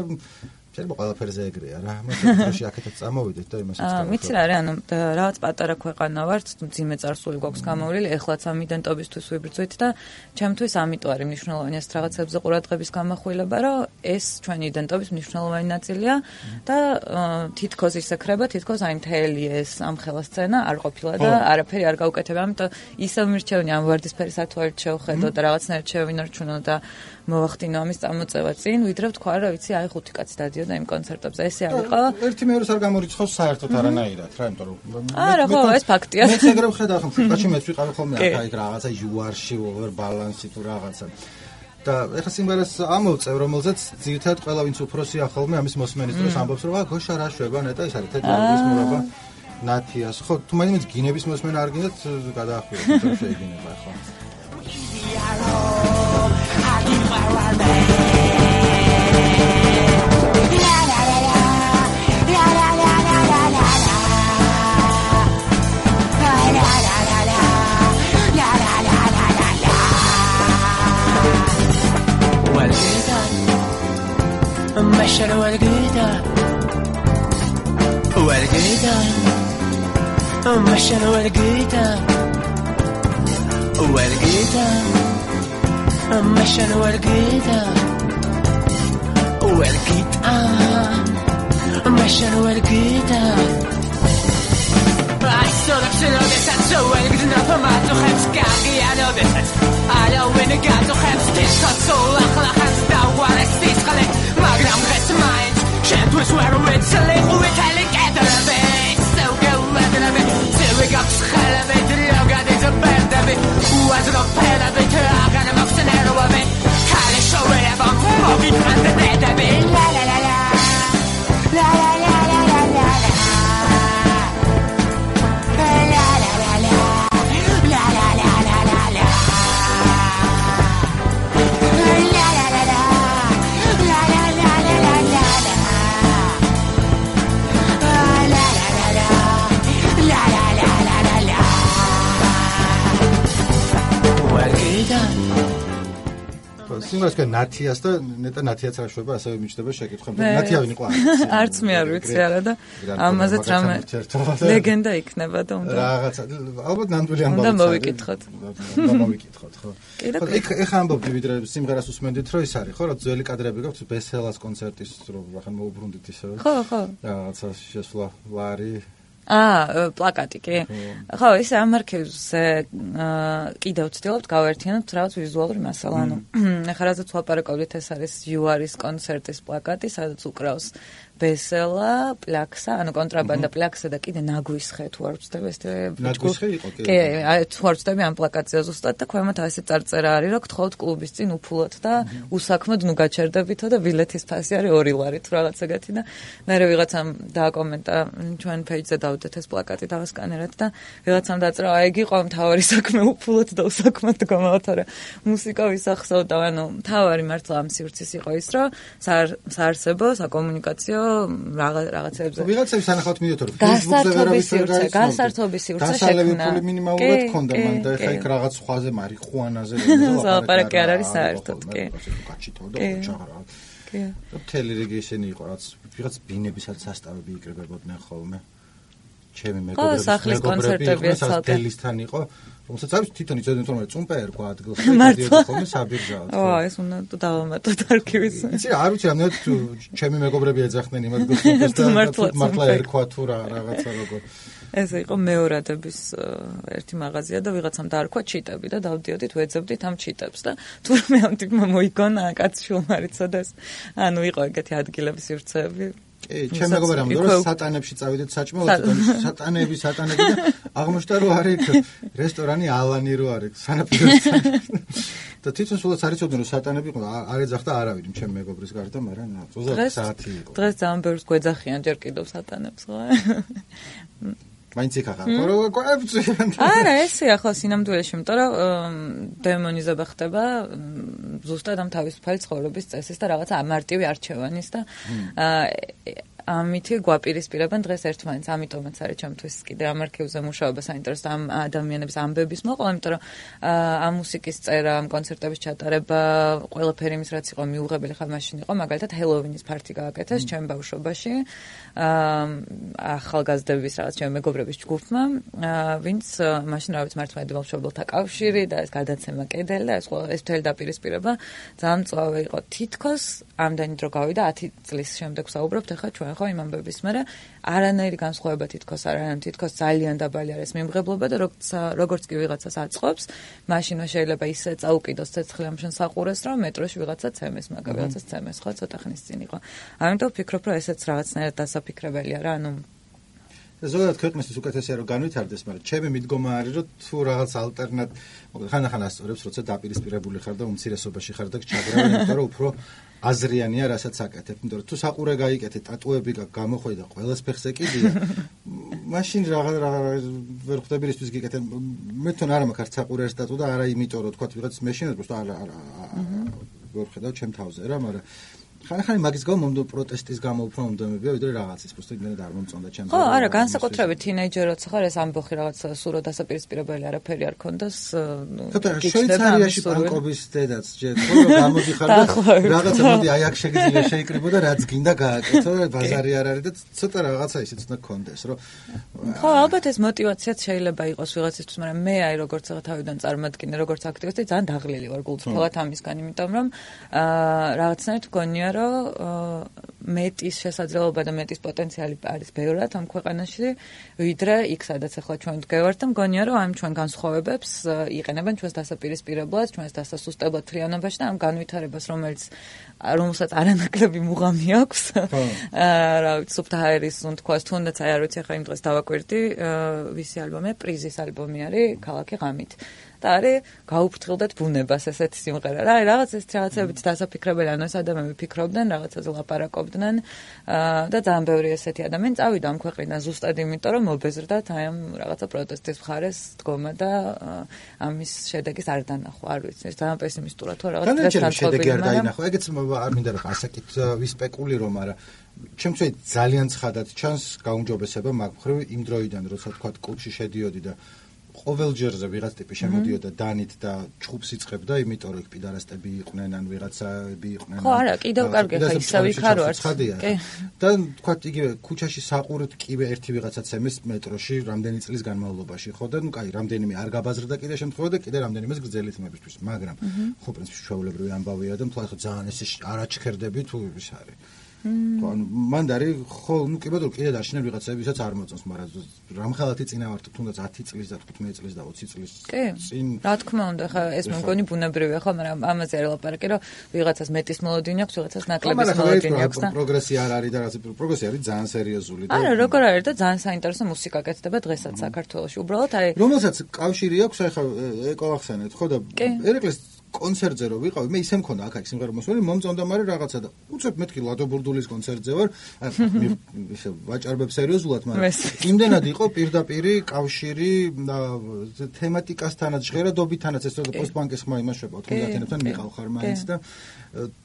შეიძლება ყველაფერზე ეგრეა რა. მოსახლეობაში აქეთაც წამოვიდეთ და იმასაც გავაკეთოთ. ვიცი რა არის, ანუ რაღაც პატარა ქვეყანა ვართ, ძიმე წარსული გვაქვს გამოვლილი, ეხლაც ამ იდენტობისთვის ვიბრძვით და ჩემთვის ამიტომ არის მნიშვნელოვანი ეს რაღაცებზე ყურადღების გამახვილება, რომ ეს ჩვენი იდენტობის მნიშვნელოვანი ნაწილია და თითქოს ისექრება, თითქოს აი მთელი ეს ამხელა სცენა არ ყოფილა და არაფერი არ გაუკეთებია, ამიტომ ისევ მირჩევნი ამ ვარდისფერი სათვალით შევხედო და რაღაცნაირად შევინარჩუნო და მოვახდინო ამის წამოწევა წინ, ვიდრე ვთქვა, რა ვიცი, აი 5 კაცი დადიოდა იმ კონცერტებზე. ესე არ იყო. ერთი მეორეს არ გამორიცხავს საერთოდ არანაირად, რა, იმიტომ რომ არა, ხო, ეს ფაქტია. მეც ეგრე ვხედავ ხომ, კაცი მეც ვიყავი ხოლმე აქ რაღაცა იუარში, ოვერ ბალანსი თუ რაღაცა. და ეხლა სიმღერას ამოვწევ, რომელზეც ძირითადად ყველა ვინც უფროსია ხოლმე ამის მოსმენის დროს ამბობს, რომ აა გოშა რა შვება, ნეტა ეს არის თეთრი მურაბა ნათიას. ხო, თუ მაინც გინების მოსმენა არ გინდათ, გადაახვიოთ, რომ შეიგინება ხო. مشر والقيدة والقيدة مشر والقيدة والقيدة مشر والقيدة والقيدة مشر والقيدة عالصورك شنو بيسات سوالك دنا ما تخمس كاقي على بيسات على وين قاعد تخمس تشخص صولك لخمس دوار استيسخلك ماغرام غس ماينز شنت وسوار ويتسلق ويتعلق عدر بيت سوق ولدر بيت سوق أبس خلا بيت اللوغة دي زبرد بيت وازر بيلا بيت أغانا مفسنير وبيت كالي شوي لبام موبيت عند بيت بيت لا لا لا لا لا لا لا لا لا لا სიმღერას კენ ნათიას და ნეტა ნათიაც რა შვება, ასევე მიჩნდება შეკითხები. ნათია ვინ იყო? არც მე არ ვიცი არა და ამაზეც რამე ლეგენდა იქნება და უნდა რაღაცა ალბათ ნამდვილი ამბავი. უნდა მოვიკითხოთ. უნდა მოვიკითხოთ, ხო. ეხა ამბობდი ვიდრე სიმღერას უსმენდით, რომ ის არის, ხო, რა ძველი კადრები გაქვთ ბესელას კონცერტის, რომ ახლა მოუბრუნდით ისე. ხო, ხო. რაღაცა შესვლა ვარი პლაკატი კი. ხო, ის ამ არქივზე კიდევ ვცდილობთ გავერთიანოთ რაღაც ვიზუალური მასალა. ანუ ახლა რაზეც ვაპარაკობთ, ეს არის იუარის კონცერტის პლაკატი, სადაც უკრავს ბესელა, პლაქსა, ანუ კონტრაბანდა პლაქსა და კიდე ნაგვის ხე თუ არ ვწდები ეს ნაგვის ხე იყო კი. კი, თუ არ ვწდები ამ პლაკატზე ზუსტად და ქვემოთ ასე წარწერა არის, რომ გთხოვთ კლუბის წინ უფულად და უსაქმოდ ნუ გაჩერდებითო და ბილეთის ფასი არის 2 ლარი თუ რაღაცა გათი და მე ვიღაცამ დააკომენტა ჩვენ პეიჯზე დავდეთ ეს პლაკატი დავასკანერეთ და ვიღაცამ დაწერა აი იგი ყო მთავარი საქმე უფულად და უსაქმოდ გამოვთორა მუსიკა ვისახსოვდა ანუ მთავარი მართლა ამ სივრცის იყო ის რომ საარსებო საკომუნიკაციო რაღაცებზე ვიღაცებს ანახავთ მიდიოთ რომ გასართობის სივრცე შექმნა მინიმალურად ქონდა მან და ეხა იქ რაღაც სხვაზე მარიხუანაზე ლაპარაკი არ არის საერთოდ კი გაჩიტოდა ჩაღრა კი მთელი რიგი ისინი იყო რაც ვიღაც ბინებისაც სასტავები იკრებებოდნენ ხოლმე ჩემი მეგობრები ეს დელისთან იყო რომელსაც არის თვითონ იცოდნენ რომ წუმპე ერქვა ადგილს დადიოდა ხოლმე საბირჟაოდ ო ეს უნდა დავამატოთ არქივის იცი არ ვიცი რამდენად ჩემი მეგობრები ეძახდნენ იმ ადგილს და მართლა ერქვა თუ რაღაცა როგორ ესე იყო მეორადების ერთი მაღაზია და ვიღაცამ დაარქვა ჩიტები და დავდიოდით ვეძებდით ამ ჩიტებს და თურმე ამ ტიპმა მოიგონა კაცშულმა რიცოდეს. ანუ იყო ეგეთი ადგილების სივრცეები. ჩემ მეგობარმა რომ სატანებში წავიდეთ საჭმელად სატანები და აღმოჩნდა რომ არის რესტორანი ალანი რო არის სანაპიროსთან და თვითონ სულაც არიცოდნენ რომ სატანები იყო არ ეძახდა არავინ ჩემ მეგობრის გარდა მაგრამ 20 საათი იყო დღეს ძალიან ბევრს გვეძახიან ჯერ კიდევ სატანებს ხო მაინც იქ ახლა რო გვებწიან არა ესეა ხო სინამდვილეში იმიტომ რომ დემონიზება ხდება ზუსტად ამ თავისუფალი ცხოვრების წესის და რაღაცა მარტივი არჩევანის და ამითი გვაპირისპირებენ დღეს ერთმანეთს ამიტომაც არის ჩემთვის კიდე ამ არქივზე მუშაობა საინტერესო ამ ადამიანების ამბების მოყოლა იმიტომ რომ ამ მუსიკის წერა ამ კონცერტების ჩატარება ყველაფერი იმის რაც იყო მიუღებელი ხა მაშინ იყო მაგალითად ჰელოვინის ფარტი გააკეთეს ჩემ ბავშვობაში ახალგაზრდების რაღაც ჩემ მეგობრების ჯგუფმა ვინც მაშინ რაღაც მართლმადიდებელ მშობელთა კავშირი და ეს გადაცემა კედელი და ეს მთელი დაპირისპირება ძალიან მწვავე იყო თითქოს ამდენი დრო გავიდა 10 წლის შემდეგ საუბრობთ ახლა ჩვენ ხო იმ ამბების მერე არანაირი განსხვავება თითქოს არ არის თითქოს ძალიან დაბალი არის მიმღებლობა და როგორც კი ვიღაცას აწყობს მაშინვე შეიძლება ისე წაუკიდოს ცეცხლი ამ შენ საყურეს რომ მეტროში ვიღაცა ცემეს მაგა ვიღაცას ცემეს ხო ცოტა ხნის წინ იყო ამიტომ ვფიქრობ რომ ესეც რაღაცნაირად დასაფიქრებელია რა ანუ ზოგადად ქვეყნისთვის უკეთესია რომ განვითარდეს, მაგრამ ჩემი მიდგომა არის რომ თუ რაღაც ალტერნატ ხან-ხან ასწორებს, როცა დაპირისპირებული ხარ და უმცირესობაში ხარ და ჩაგრავენ, იმიტომ რომ უფრო აზრიანია, რასაც აკეთებ, იმიტომ რომ თუ საყურე გაიკეთე, ტატუები გამოხვედა, ყველას ფეხს ეკიდია, მაშინ რაღაც ვერ ხვდები რისთვის გიკეთე. მე თვითონ არ მაქვს საყურე სტატუ და არა იმიტომ რომ თქვა ვიღაც მეშინად, просто არა ვერ ხედავ ჩემ თავზე რა, მაგრამ ხან-ხან მაგის გამო მომდო პროტესტის გამო უფრო მომდომებია, ვიდრე რაღაცის, просто იმდენად არ მომწონდა ჩემს. ხო, არა, განსაკუთრებით თინეიჯერ როცა ხარ ეს ამბოხი რაღაც სურო დასაპირისპირებელი არაფერი არ ქონდეს, ნუ შვეიცარიაში პანკობის დედაც ჯერ ხო გამოდიხარ და რაღაცა მოდი აი აქ შეგიძლია შეიკრიბო და რაც გინდა გააკეთო და ბაზარი არ არის და ცოტა რაღაცა ისეც უნდა ქონდეს, რომ ხო, ალბათ ეს мотиваციაც შეიძლება იყოს ვიღაცისთვის, მაგრამ მე აი როგორც ახლა თავიდან წარმატკინე, როგორც აქტივისტი ძალიან დაღლილი ვარ გულწრფელად ამისგან, იმიტომ რომ რაღაცნაირად გონია მეტის შესაძლებლობა და მეტის პოტენციალი არის ბევრად ამ ქვეყანაში, ვიდრე იქ სადაც ახლა ჩვენ ვდგევართ და მგონია რომ ამ ჩვენ განსხვავებებს იყენებენ ჩვენს დასაპირისპირებლად, ჩვენს დასასუსტებლად თლიანობაში და ამ განვითარებას, რომელსაც არანაკლები მუღამი აქვს. რა ვიცი, სუფთა ჰაერის თქواس თუნდაც აი არ ვიცი ახლა იმ დღეს დავაკვირდი, ვისი ალბომია, პრიზის ალბომი არის ქალაქი ღამით. და არის გაუფრთხილდეთ ბუნებას ესეთი სიმღერა რა რაღაც ეს რაღაცებით დასაფიქრებელი ანუ ეს ადამიანები ფიქრობდნენ რაღაცაზე ლაპარაკობდნენ და ძალიან ბევრი ესეთი ადამიანი წავიდა ამ ქვეყნიდან ზუსტად იმიტომ რომ მობეზრდათ აი ამ რაღაცა პროტესტის მხარეს დგომა და ამის შედეგის არ დანახვა არ ვიცი ეს ძალიან პესიმისტურად თუ რაღაც დღესთან შედეგი არ დაინახვა ეგეც არ მინდა რომ ასაკით ვისპეკულირო მაგრამ ჩემთვის ძალიან ცხადად ჩანს გაუმჯობესება მაგ მხრივ იმ დროიდან როცა თქვა კლუბში შედიოდი და ყოველჯერზე ვიღაც ტიპი შემოდიოდა დანით და ჩხუბს იწყებდა, იმიტომ რომ იქ პიდარასტები იყვნენ, ან ვიღაცები იყვნენ. ხო, არა, კიდევ კარგი ხა ისევ იქ არ ვარ. კი. და თქვა იგივე ქუჩაში საყურით კიდე ერთი ვიღაცაც ემეს მეტროში რამდენი წლის განმავლობაში, ხო და ნუ კაი, რამდენიმე არ გაბაზრდა კიდე შემთხვევა და კიდე რამდენიმეს გრძელი თმებისთვის, მაგრამ ხო პრინციპში ჩვეულებრივი ამბავია და მთლად ხო ძალიან ეს არაჩქერდები თუ ის არის. ხო, ანუ მანდარი ხო, ნუ კი ბატონო, კიდე დაშინე ვიღაცები, ვისაც არ მოწონს, მაგრამ რამხელათი წინა ვარ თუნდაც 10 წლის და 15 წლის და 20 წლის წინ. რა თქმა უნდა, ხა ეს მე მგონი ბუნებრივია, ხო, მაგრამ ამაზე არ ელაპარაკი, რომ ვიღაცას მეტის მოლოდინი აქვს, ვიღაცას ნაკლების მოლოდინი აქვს და პროგრესი არ არის და რაღაც პროგრესი არის ძალიან სერიოზული და არა, როგორ არის და ძალიან საინტერესო მუსიკა კეთდება დღესაც საქართველოში. უბრალოდ აი რომელსაც კავშირი აქვს, აი ხა ეკო ახსენეთ, ხო და ერეკლეს კონცერტზე რო ვიყავი, მე ისე მქონდა აქ სიმღერა მოსველი, მომწონდა მაგრამ რაღაცა და უცებ მეთქი ლადო ბურდულის კონცერტზე ვარ, ისე ვაჭარბებ სერიოზულად, მაგრამ იმდენად იყო პირდაპირი კავშირი თემატიკასთანაც, ჟღერადობითანაც, ეს რო პოსტბანკის ხმა იმაშება 90-იანებთან მიყავ ხარ მაინც და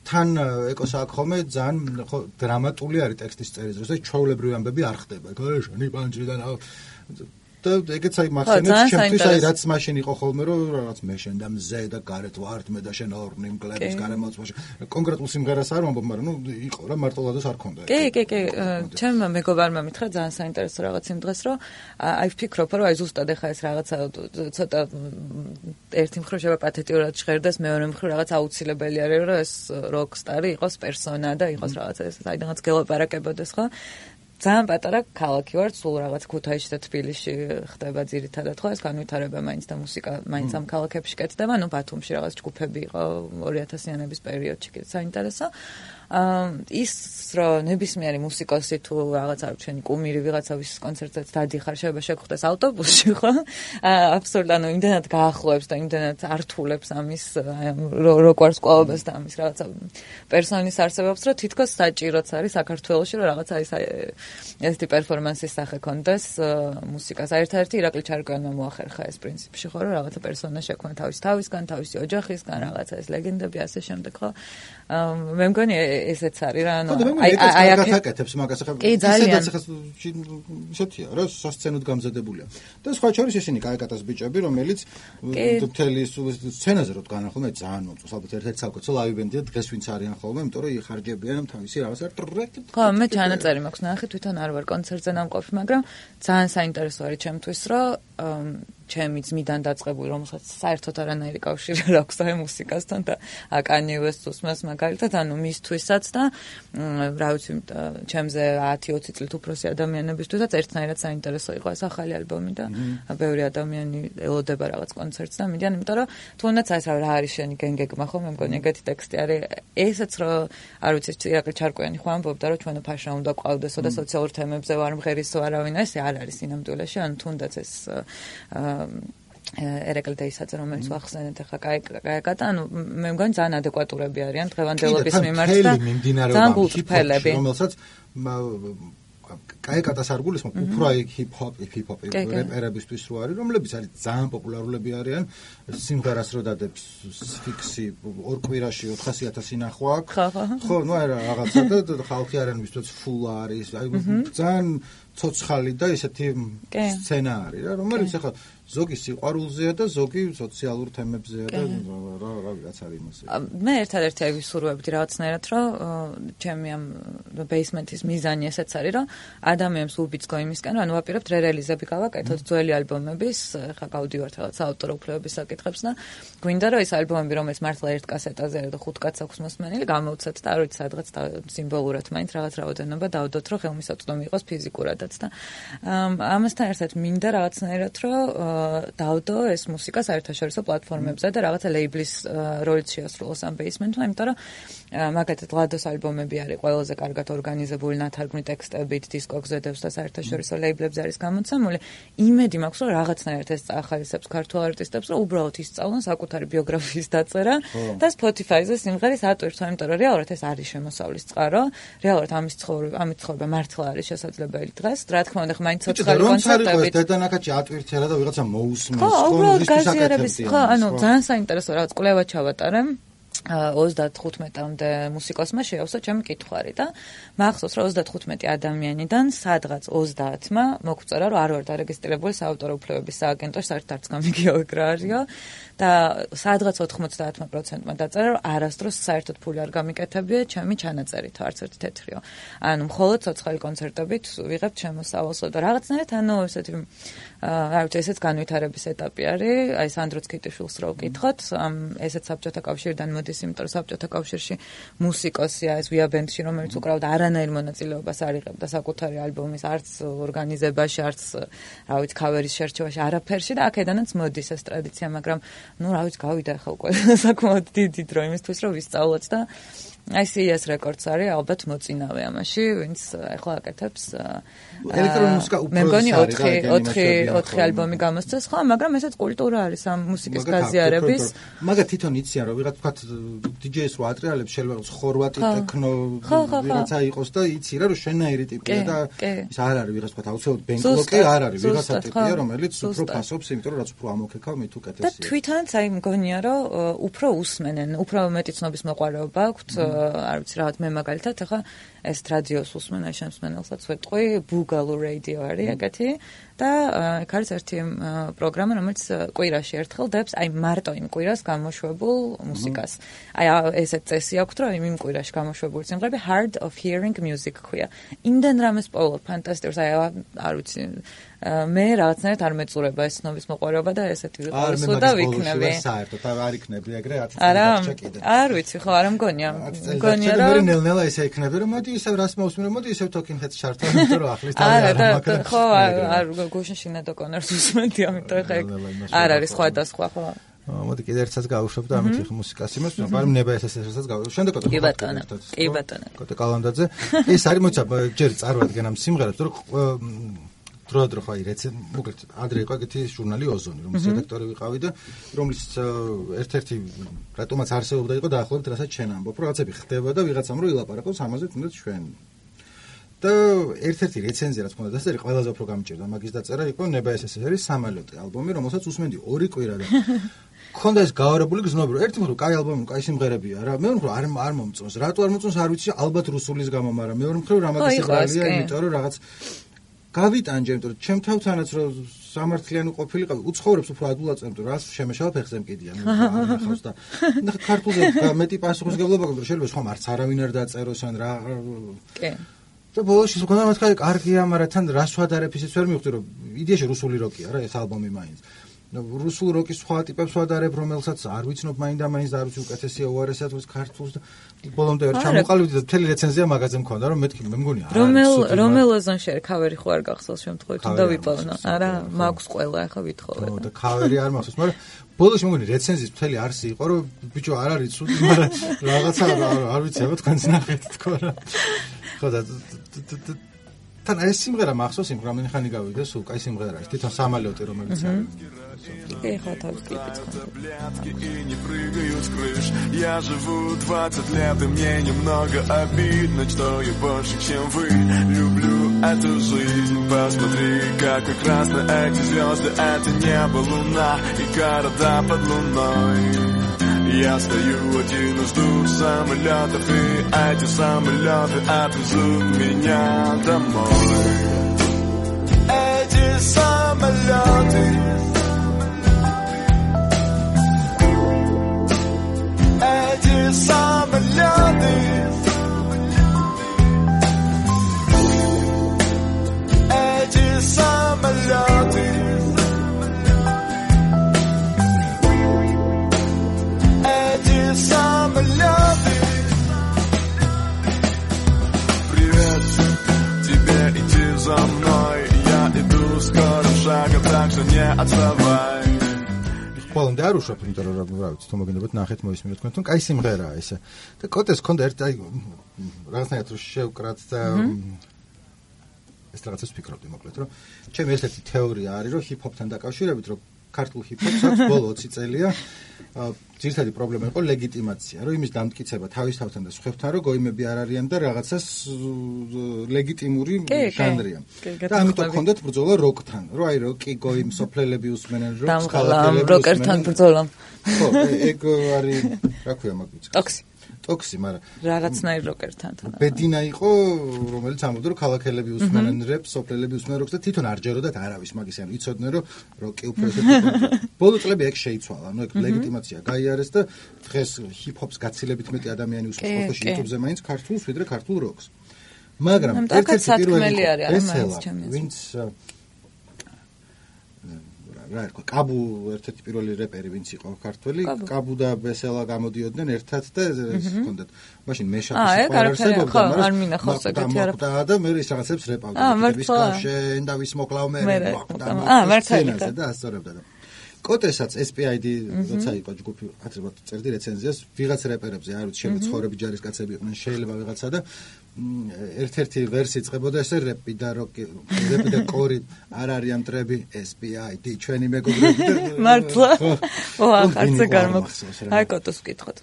თან ეკოს აქ ხომე ძალიან ხო დრამატული არის ტექსტის წერის დროს და ჩვეულებრივი ამბები არ ხდება. გაშენი პანჭი და და ეგეც აი მახსენებს ჩემთვის აი რაც მაშინ იყო ხოლმე რომ რაღაც მე შენ და მზე და გარეთ ვართ მე და შენ ორნი მკლების გარემოცვაში კონკრეტულ სიმღერას არ ვამბობ მაგრამ ნუ იყო რა მარტოლადოს არ ქონდა კი ჩემ მეგობარმა მითხრა ძალიან საინტერესო რაღაც იმ დღეს რომ აი ვფიქრობ რომ აი ზუსტად ეხა ეს რაღაცა ცოტა ერთი მხრივ შევა პათეტიურად ჟღერდეს მეორე მხრივ რაღაც აუცილებელი არის რომ ეს როკსტარი იყოს პერსონა და იყოს რაღაცა ეს საიდანაც გელაპარაკებოდეს ხო ძალიან პატარა ქალაქი ვარ, სულ რაღაც ქუთაისში და თბილისში ხდება ძირითადად ხო ეს განვითარება მაინც და მუსიკა მაინც ამ ქალაქებში კეთდება, ну ბათუმში რაღაც ჯგუფები იყო 2000-იანების პერიოდში კიდე საინტერესო. ის რომ ნებისმიერი მუსიკოსი თუ რაღაც არ ჩვენი კუმირი ვიღაცავის კონცერტზეც დადიხარ, შეიძლება შეგხვდეს ავტობუსში, ხო? აბსოლუტურად, ანუ იმდენად გაახლოებს და იმდენად ართულებს ამის როგორც კვალობას და ამის რაღაცა პერსონის არსებობს, რომ თითქოს საჭიროც არის საქართველოში, რომ რაღაცა ესეთი პერფორმანსის სახე კონდეს მუსიკას. ერთ-ერთი ირაკლი ჩარკვიანმა მოახერხა ეს პრინციპში, ხო, რომ რაღაცა პერსონა შექმნა თავისგან, თავისი ოჯახისგან, რაღაცა ეს ლეგენდები ასე შემდეგ, ხო? მე მგონი ესეც არის რა, ანუ აი აკეთებს მაგას ახლა ისედაც ახლა ისეთია, რა სასცენოდ გამზადებულია. და სხვა შორის ისინი კაიკატას ბიჭები, რომელიც მთელი სცენაზე რო დგანან ხოლმე ძალიან მომწონს, ალბათ ერთ-ერთი საკუთო ლაივ ბენდია დღეს ვინც არიან ხოლმე, იმიტომ რომ იხარჯებიან თავისი რაღაცა ტრეკ. ხო, მე ჩანაწერი მაქვს ნახე, თვითონ არ ვარ კონცერტზე ნამყოფი, მაგრამ ძალიან საინტერესო არის ჩემთვის, რომ ჩემი ძმიდან დაწყებული, რომელსაც საერთოდ არანაირი კავშირი არ აქვს აი მუსიკასთან და Kanye West უსმენს მაგალითად, ანუ მისთვისაც და რა ვიცი, ჩემზე 10-20 წლით უფროსი ადამიანებისთვისაც ერთნაირად საინტერესო იყო ეს ახალი ალბომი და ბევრი ადამიანი ელოდება რაღაც კონცერტს და მიდიან, იმიტომ რომ თუნდაც ეს რა არის შენი გენგეგმა ხო, მე მგონი ეგეთი ტექსტი არის. ესეც რომ არ ვიცი, ირაკლი ჩარკვიანი ხო ამბობდა, რომ ჩვენო ფაშა უნდა ყვავდესო და სოციალურ თემებზე ვარ მღერისო არავინ, ეს არ არის სინამდვილეში, ანუ თუნდაც ეს ერეკლი დეისაც რომელიც ვახსენეთ ახლა კაიკატა, ანუ მე მგონი ძალიან ადეკვატურები არიან დღევანდელობის მიმართ და ძალიან გულწრფელები, რომელსაც კაიკატას არ გულისხმობ, უფრო ჰიპ-ჰოპი რეპერებისთვის რო არის, რომლებიც არის ძალიან პოპულარულები არიან, სიმღერას რო დადებს ფიქსი ორ კვირაში 400,000 ინახვა აქვს. ხო, ну აი რაღაცა და ხალხი არიან ვისთვის ფულ არის, აი ძალიან ცოცხალი და ესეთი სცენა არის რა, რომელიც ახლა ზოგი სიყვარულზეა და ზოგი სოციალურ თემებზეა და რაღაც არის იმასე. მე ერთადერთი აი ვისურვებდი რაღაცნაირად, რომ ჩემი ამ ბეისმენტის მიზანი ესეც არის, რომ ადამიანს უბიძგო იმისკენ, რომ ანუ ვაპირებთ რელიზები გავაკეთოთ ძველი ალბომების, ხა გავდივართ რაღაც ავტორ უფლებების საკითხებს და გვინდა რომ ეს ალბომები, რომელიც მართლა ერთ კასეტაზე და 5 კაცს აქვს მოსმენილი, გამოვცეთ და არ ვიცი სადღაც სიმბოლურად მაინც რაღაც რაოდენობა დავდოთ, რომ ხელმისაწვდომი იყოს ფიზიკურადაც და ამასთან ერთად მინდა რაღაცნაირად, რომ დავდო ეს მუსიკა საერთაშორისო პლატფორმებზე და რაღაცა ლეიბლის როლიც შეასრულოს ამ ბეისმენტმა, იმიტომ რომ მაგათაც ლადოს ალბომები არის ყველაზე კარგად ორგანიზებული ნათარგმნი ტექსტებით, დისკოგზედებს და საერთაშორისო ლეიბლებზე არის გამოცემული. იმედი მაქვს, რომ რაღაცნაირად ეს წაახალისებს ქართულ არტისტებს, რომ უბრალოდ ისწავლონ საკუთარი ბიოგრაფიის დაწერა და Spotify-ზე სიმღერის ატვირთვა, იმიტომ რომ რეალურად ეს არის შემოსავლის წყარო, რეალურად ამის ცხოვრება მართლა არის შესაძლებელი დღეს. რა თქმა უნდა, მაინც ცოცხალი კონცერტებით. დედანაკაჩი ატვირთია და ვიღაცა მოусმენს. ხო, უბრალოდ გაზიარების, ხო, ანუ ძალიან საინტერესო რაღაც კვლევა ჩავატარე. 35-მდე მუსიკოსმა შეავსო ჩემი კითხვარი და მახსოვს რომ 35 ადამიანიდან სადღაც 30-მა მოგწერა რომ არ ვარ დარეგისტრირებული საავტორო უფლებების სააგენტოში, საერთოდ არც გამიგია ეგ რა არისო და სადღაც 90%-მა დაწერა რომ არასდროს საერთოდ ფული არ გამიკეთებია ჩემი ჩანაწერით, არც ერთი თეთრიო. ანუ მხოლოდ ცოცხალი კონცერტებით ვიღებთ შემოსავალსო და რაღაცნაირად ანუ ესეთი არ ვიცი, ესეც განვითარების ეტაპი არის. აი სანდრო ცქიტიშვილს რო ვკითხოთ, ესეც საბჭოთა კავშირიდან მოდის, იმიტომ რომ საბჭოთა კავშირში მუსიკოსია ეს ვია ბენდში, რომელიც უკრავდა არანაირ მონაწილეობას არ იღებდა საკუთარი ალბომის არც ორგანიზებაში, არც რა ვიცი, ქავერის შერჩევაში, არაფერში და აქედანაც მოდის ეს ტრადიცია, მაგრამ ну რა ვიცი, გავიდა ახლა უკვე საკმაოდ დიდი დრო იმისთვის, რომ ვისწავლოთ და აი CS რეკორდს არის ალბათ მოწინავე ამაში, ვინც ახლა აკეთებს ელექტრონული მუსიკა უფრო მე მგონი 4 ალბომი გამოსცეს, ხო, მაგრამ ესეც კულტურა არის ამ მუსიკის გაზიარების. მაგა თვითონ იციან, რომ ვიღაც თქვა DJ-ს რო ატრიალებს, შეიძლება ხორვატი ტექნო ვიღაცა იყოს და იცი რა, რომ შენაირი ტიპია და ის არ არის ვიღაც თქვა აუცილებლად ბენკლოკი არ არის, ვიღაცა ტიპია, რომელიც უფრო ფასობს, იმიტომ რომ რაც უფრო ამოქეკავ, მით უკეთესია. და თვითონაც აი მგონია, რომ უფრო უსმენენ, უფრო მეტი ცნობის მოყვარეობა აქვთ, არ ვიცი, რაღაც მე მაგალითად ახლა ეს რადიოს უსმენ, აი შემსმენელსაც ვეტყვი, Bugalu Radio არის ეგეთი და ეგ არის ერთი პროგრამა, რომელიც კვირაში ერთხელ დებს აი მარტო იმ კვირას გამოშვებულ მუსიკას. აი ესეთ წესი აქვს, რომ იმ კვირაში გამოშვებული სიმღერები Hard of Hearing Music ქვია. იმდენ რამეს პოულობ, ფანტასტიკურს, აი არ ვიცი, მე რაღაცნაირად არ მეწურება ეს ცნობის მოყვარეობა და ესეთი ვიყავ და ვიქნები. საერთოდ არ იქნები ეგრე 10 წელი არა, დარჩა კიდე. არ ვიცი, ხო, არ მგონია. მგონია რომ მე ნელ-ნელა ესე იქნები, რომ მოდი ისევ რას მოვსმინე, მოდი ისევ Talking-Heads ჩართო, იმიტომ რომ ახლის თავი არ მაგარი. ხო, არ გუშინ Sinead O'Connor-ს უსმენდი, ამიტომ ხა არ არის სხვადასხვა, ხო. მოდი კიდე ერთსაც გავუშვებ და ამით მუსიკას იმას, მაგრამ ნება ესესაც გავუშვებ. შემდეგ კი ბატონო. კოტე კალანდაძე. ეს არის მოიცა ჯერ წარვადგენ ამ სიმღერებს, რომ დროდადრო ხაი მოგეთ ადრე იყო ეგეთი ჟურნალი ოზონი, რომლის რედაქტორი ვიყავი და რომლის ერთ-ერთი რატომაც არსებობდა იყო დაახლოებით რასაც ჩვენ ამბობ, რომ რაღაცები ხდება და ვიღაცამ რო ილაპარაკოს ამაზე თუნდაც ჩვენ. და ერთ-ერთი რეცენზია რაც მქონდა დასწერი ყველაზე უფრო გამჭირდა მაგის დაწერა იყო ნება SSR-ის სამალოტი ალბომი, რომელსაც უსმენდი 2 კვირა და მქონდა ეს გაარებული გზნობი, რომ ერთი მხრივ კაი ალბომი, კაი სიმღერებია რა, მეორე მხრივ არ მომწონს. რატო არ მომწონს არ ვიცი, ალბათ რუსულის გამო, მაგრამ მეორე მხრივ რამაგი სიმღერია, იმიტომ რომ რაღაც გავიტანჯე, იმიტომ რომ ჩემ თავთანაც რომ სამართლიანი ყოფილიყავი, უცხოვრებს უფრო ადულად წემთო, რას შემეშალა ფეხზე მკიდია, ნახავს და ქართულზე მეტი პასუხისგებლობა გქონდა, შეიძლება ხომ არც არავინ არ დაწეროს ან რა. კი. და ბოლოს ის მქონდა მათქარი კარგია, მაგრამ თან რას ვადარებ ისიც ვერ მივხვდი, რომ იდეაში რუსული როკია რა ეს ალბომი მაინც. რუსულ როკის სხვა ტიპებს ვადარებ, რომელსაც არ ვიცნობ მაინდა-მაინც და არ ვიცი უკეთესია უარესად ვეს ქართულს და ბოლომდე ვერ ჩამოყალიბდი და მთელი რეცენზია მაგაზე მქონდა, რომ მეთქი მე მგონია. რომელ ოზონში ქავერი ხო არ გახსოვს შემთხვევით უნდა ვიპოვნო. არა, მაქვს ყველა ახლა ვითხოვე. ხო და ქავერი არ მახსოვს, მაგრამ ბოლოს მეგონი რეცენზიის მთელი არსი იყო, რომ ბიჭო არ არის ცუდი, მაგრამ რაღაცა არ ვიცი, აბა თქვენც ნახეთ თქო რა. ხო და თან ეს სიმღერა მახსოვს იმ რამდენი ხანი გავიდა, сул кай სიმღერა ის თვითონ самолёты რომელიც არის. Ехал так клипец. Я живу 20 лет, и мне немного обидно, что я больше, чем вы. Люблю эту жизнь, посмотри, как прекрасны эти звезды. Это небо, луна и города под луной. Я стою один и жду самолетов, и эти самолеты отвезут меня домой. Эти самолеты, эти самолеты, эти самолеты, эти самолеты. Привет, тебе иди за мной, я иду скорым шагом, так что не отставай. ყველამდე არ უშვებ, იმიტომ რომ რა ვიცი, თუ მოგინებოთ ნახეთ მოისმინოთ თქვენ, თუნ კაი სიმღერაა ესე. და კოტეს ქონდა ერთ აი რაღაცნაირად რომ შევკრათ და ეს რაღაცას ვფიქრობდი მოკლედ, რომ ჩემი ერთ-ერთი თეორია არის, რომ ჰიპ-ჰოპთან დაკავშირებით, რომ ქართულ ჰიპ-ჰოპს აქვს ბოლო 20 წელია ძირითადი პრობლემა იყო ლეგიტიმაცია, რომ იმის დამტკიცება თავისთავთან და სხვებთან, რომ გოიმები არ არიან და რაღაცას ლეგიტიმური ჟანრია. და ამიტომ ჰქონდათ ბრძოლა როკთან, რომ აი როკი გოიმ სოფლელები უსმენენ როკს, ხალხელები როკერთან ბრძოლა. ხო, ეგ არის, რა ქვია მაგ ტოქსი, მაგრამ რაღაცნაირ როკერთან თან. ბედინა იყო, რომელიც ამბობდა, რომ ქალაქელები უსმენენ რეპს, სოფლელები უსმენენ როკს და თვითონ არ ჯეროდათ არავის მაგის, ანუ იცოდნენ, რომ როკი უფრო ესეთი. ბოლო წლები ეგ შეიცვალა, ანუ ეგ ლეგიტიმაცია გაიარეს და დღეს ჰიპ-ჰოპს გაცილებით მეტი ადამიანი უსმენს ხოლმე YouTube-ზე მაინც ქართულს, ვიდრე ქართულ როკს. მაგრამ ერთ-ერთი პირველი არის, ვინც რა ერქვა, კაბუ ერთ-ერთი პირველი რეპერი ვინც იყო ქართველი, კაბუ და ბესელა გამოდიოდნენ ერთად და ეს ჰქონდათ. მაშინ მეშაპის ყარარსებობდა, მაგრამ არ მინახავს ეგეთი არა. და მე ის რაღაცებს რეპავდა. ვის კავშირ და ვის მოკლავ მე. მართალია და ასწორებდა და კოტესაც SPID როცა იყო ჯგუფი, ათრებად წერდი რეცენზიას, ვიღაც რეპერებზე არ ვიცი, შემოც ცხოვრები ჯარისკაცები იყვნენ, შეიძლება ვიღაცა და ერთ-ერთი ვერსია წებოდა ესე რეპი და როკი, რეპი და კორი არ არიან მტრები, SPID ჩვენი მეგობრები და მართლა. არც გამოგხსოვს. აი კოტოს ვკითხოთ.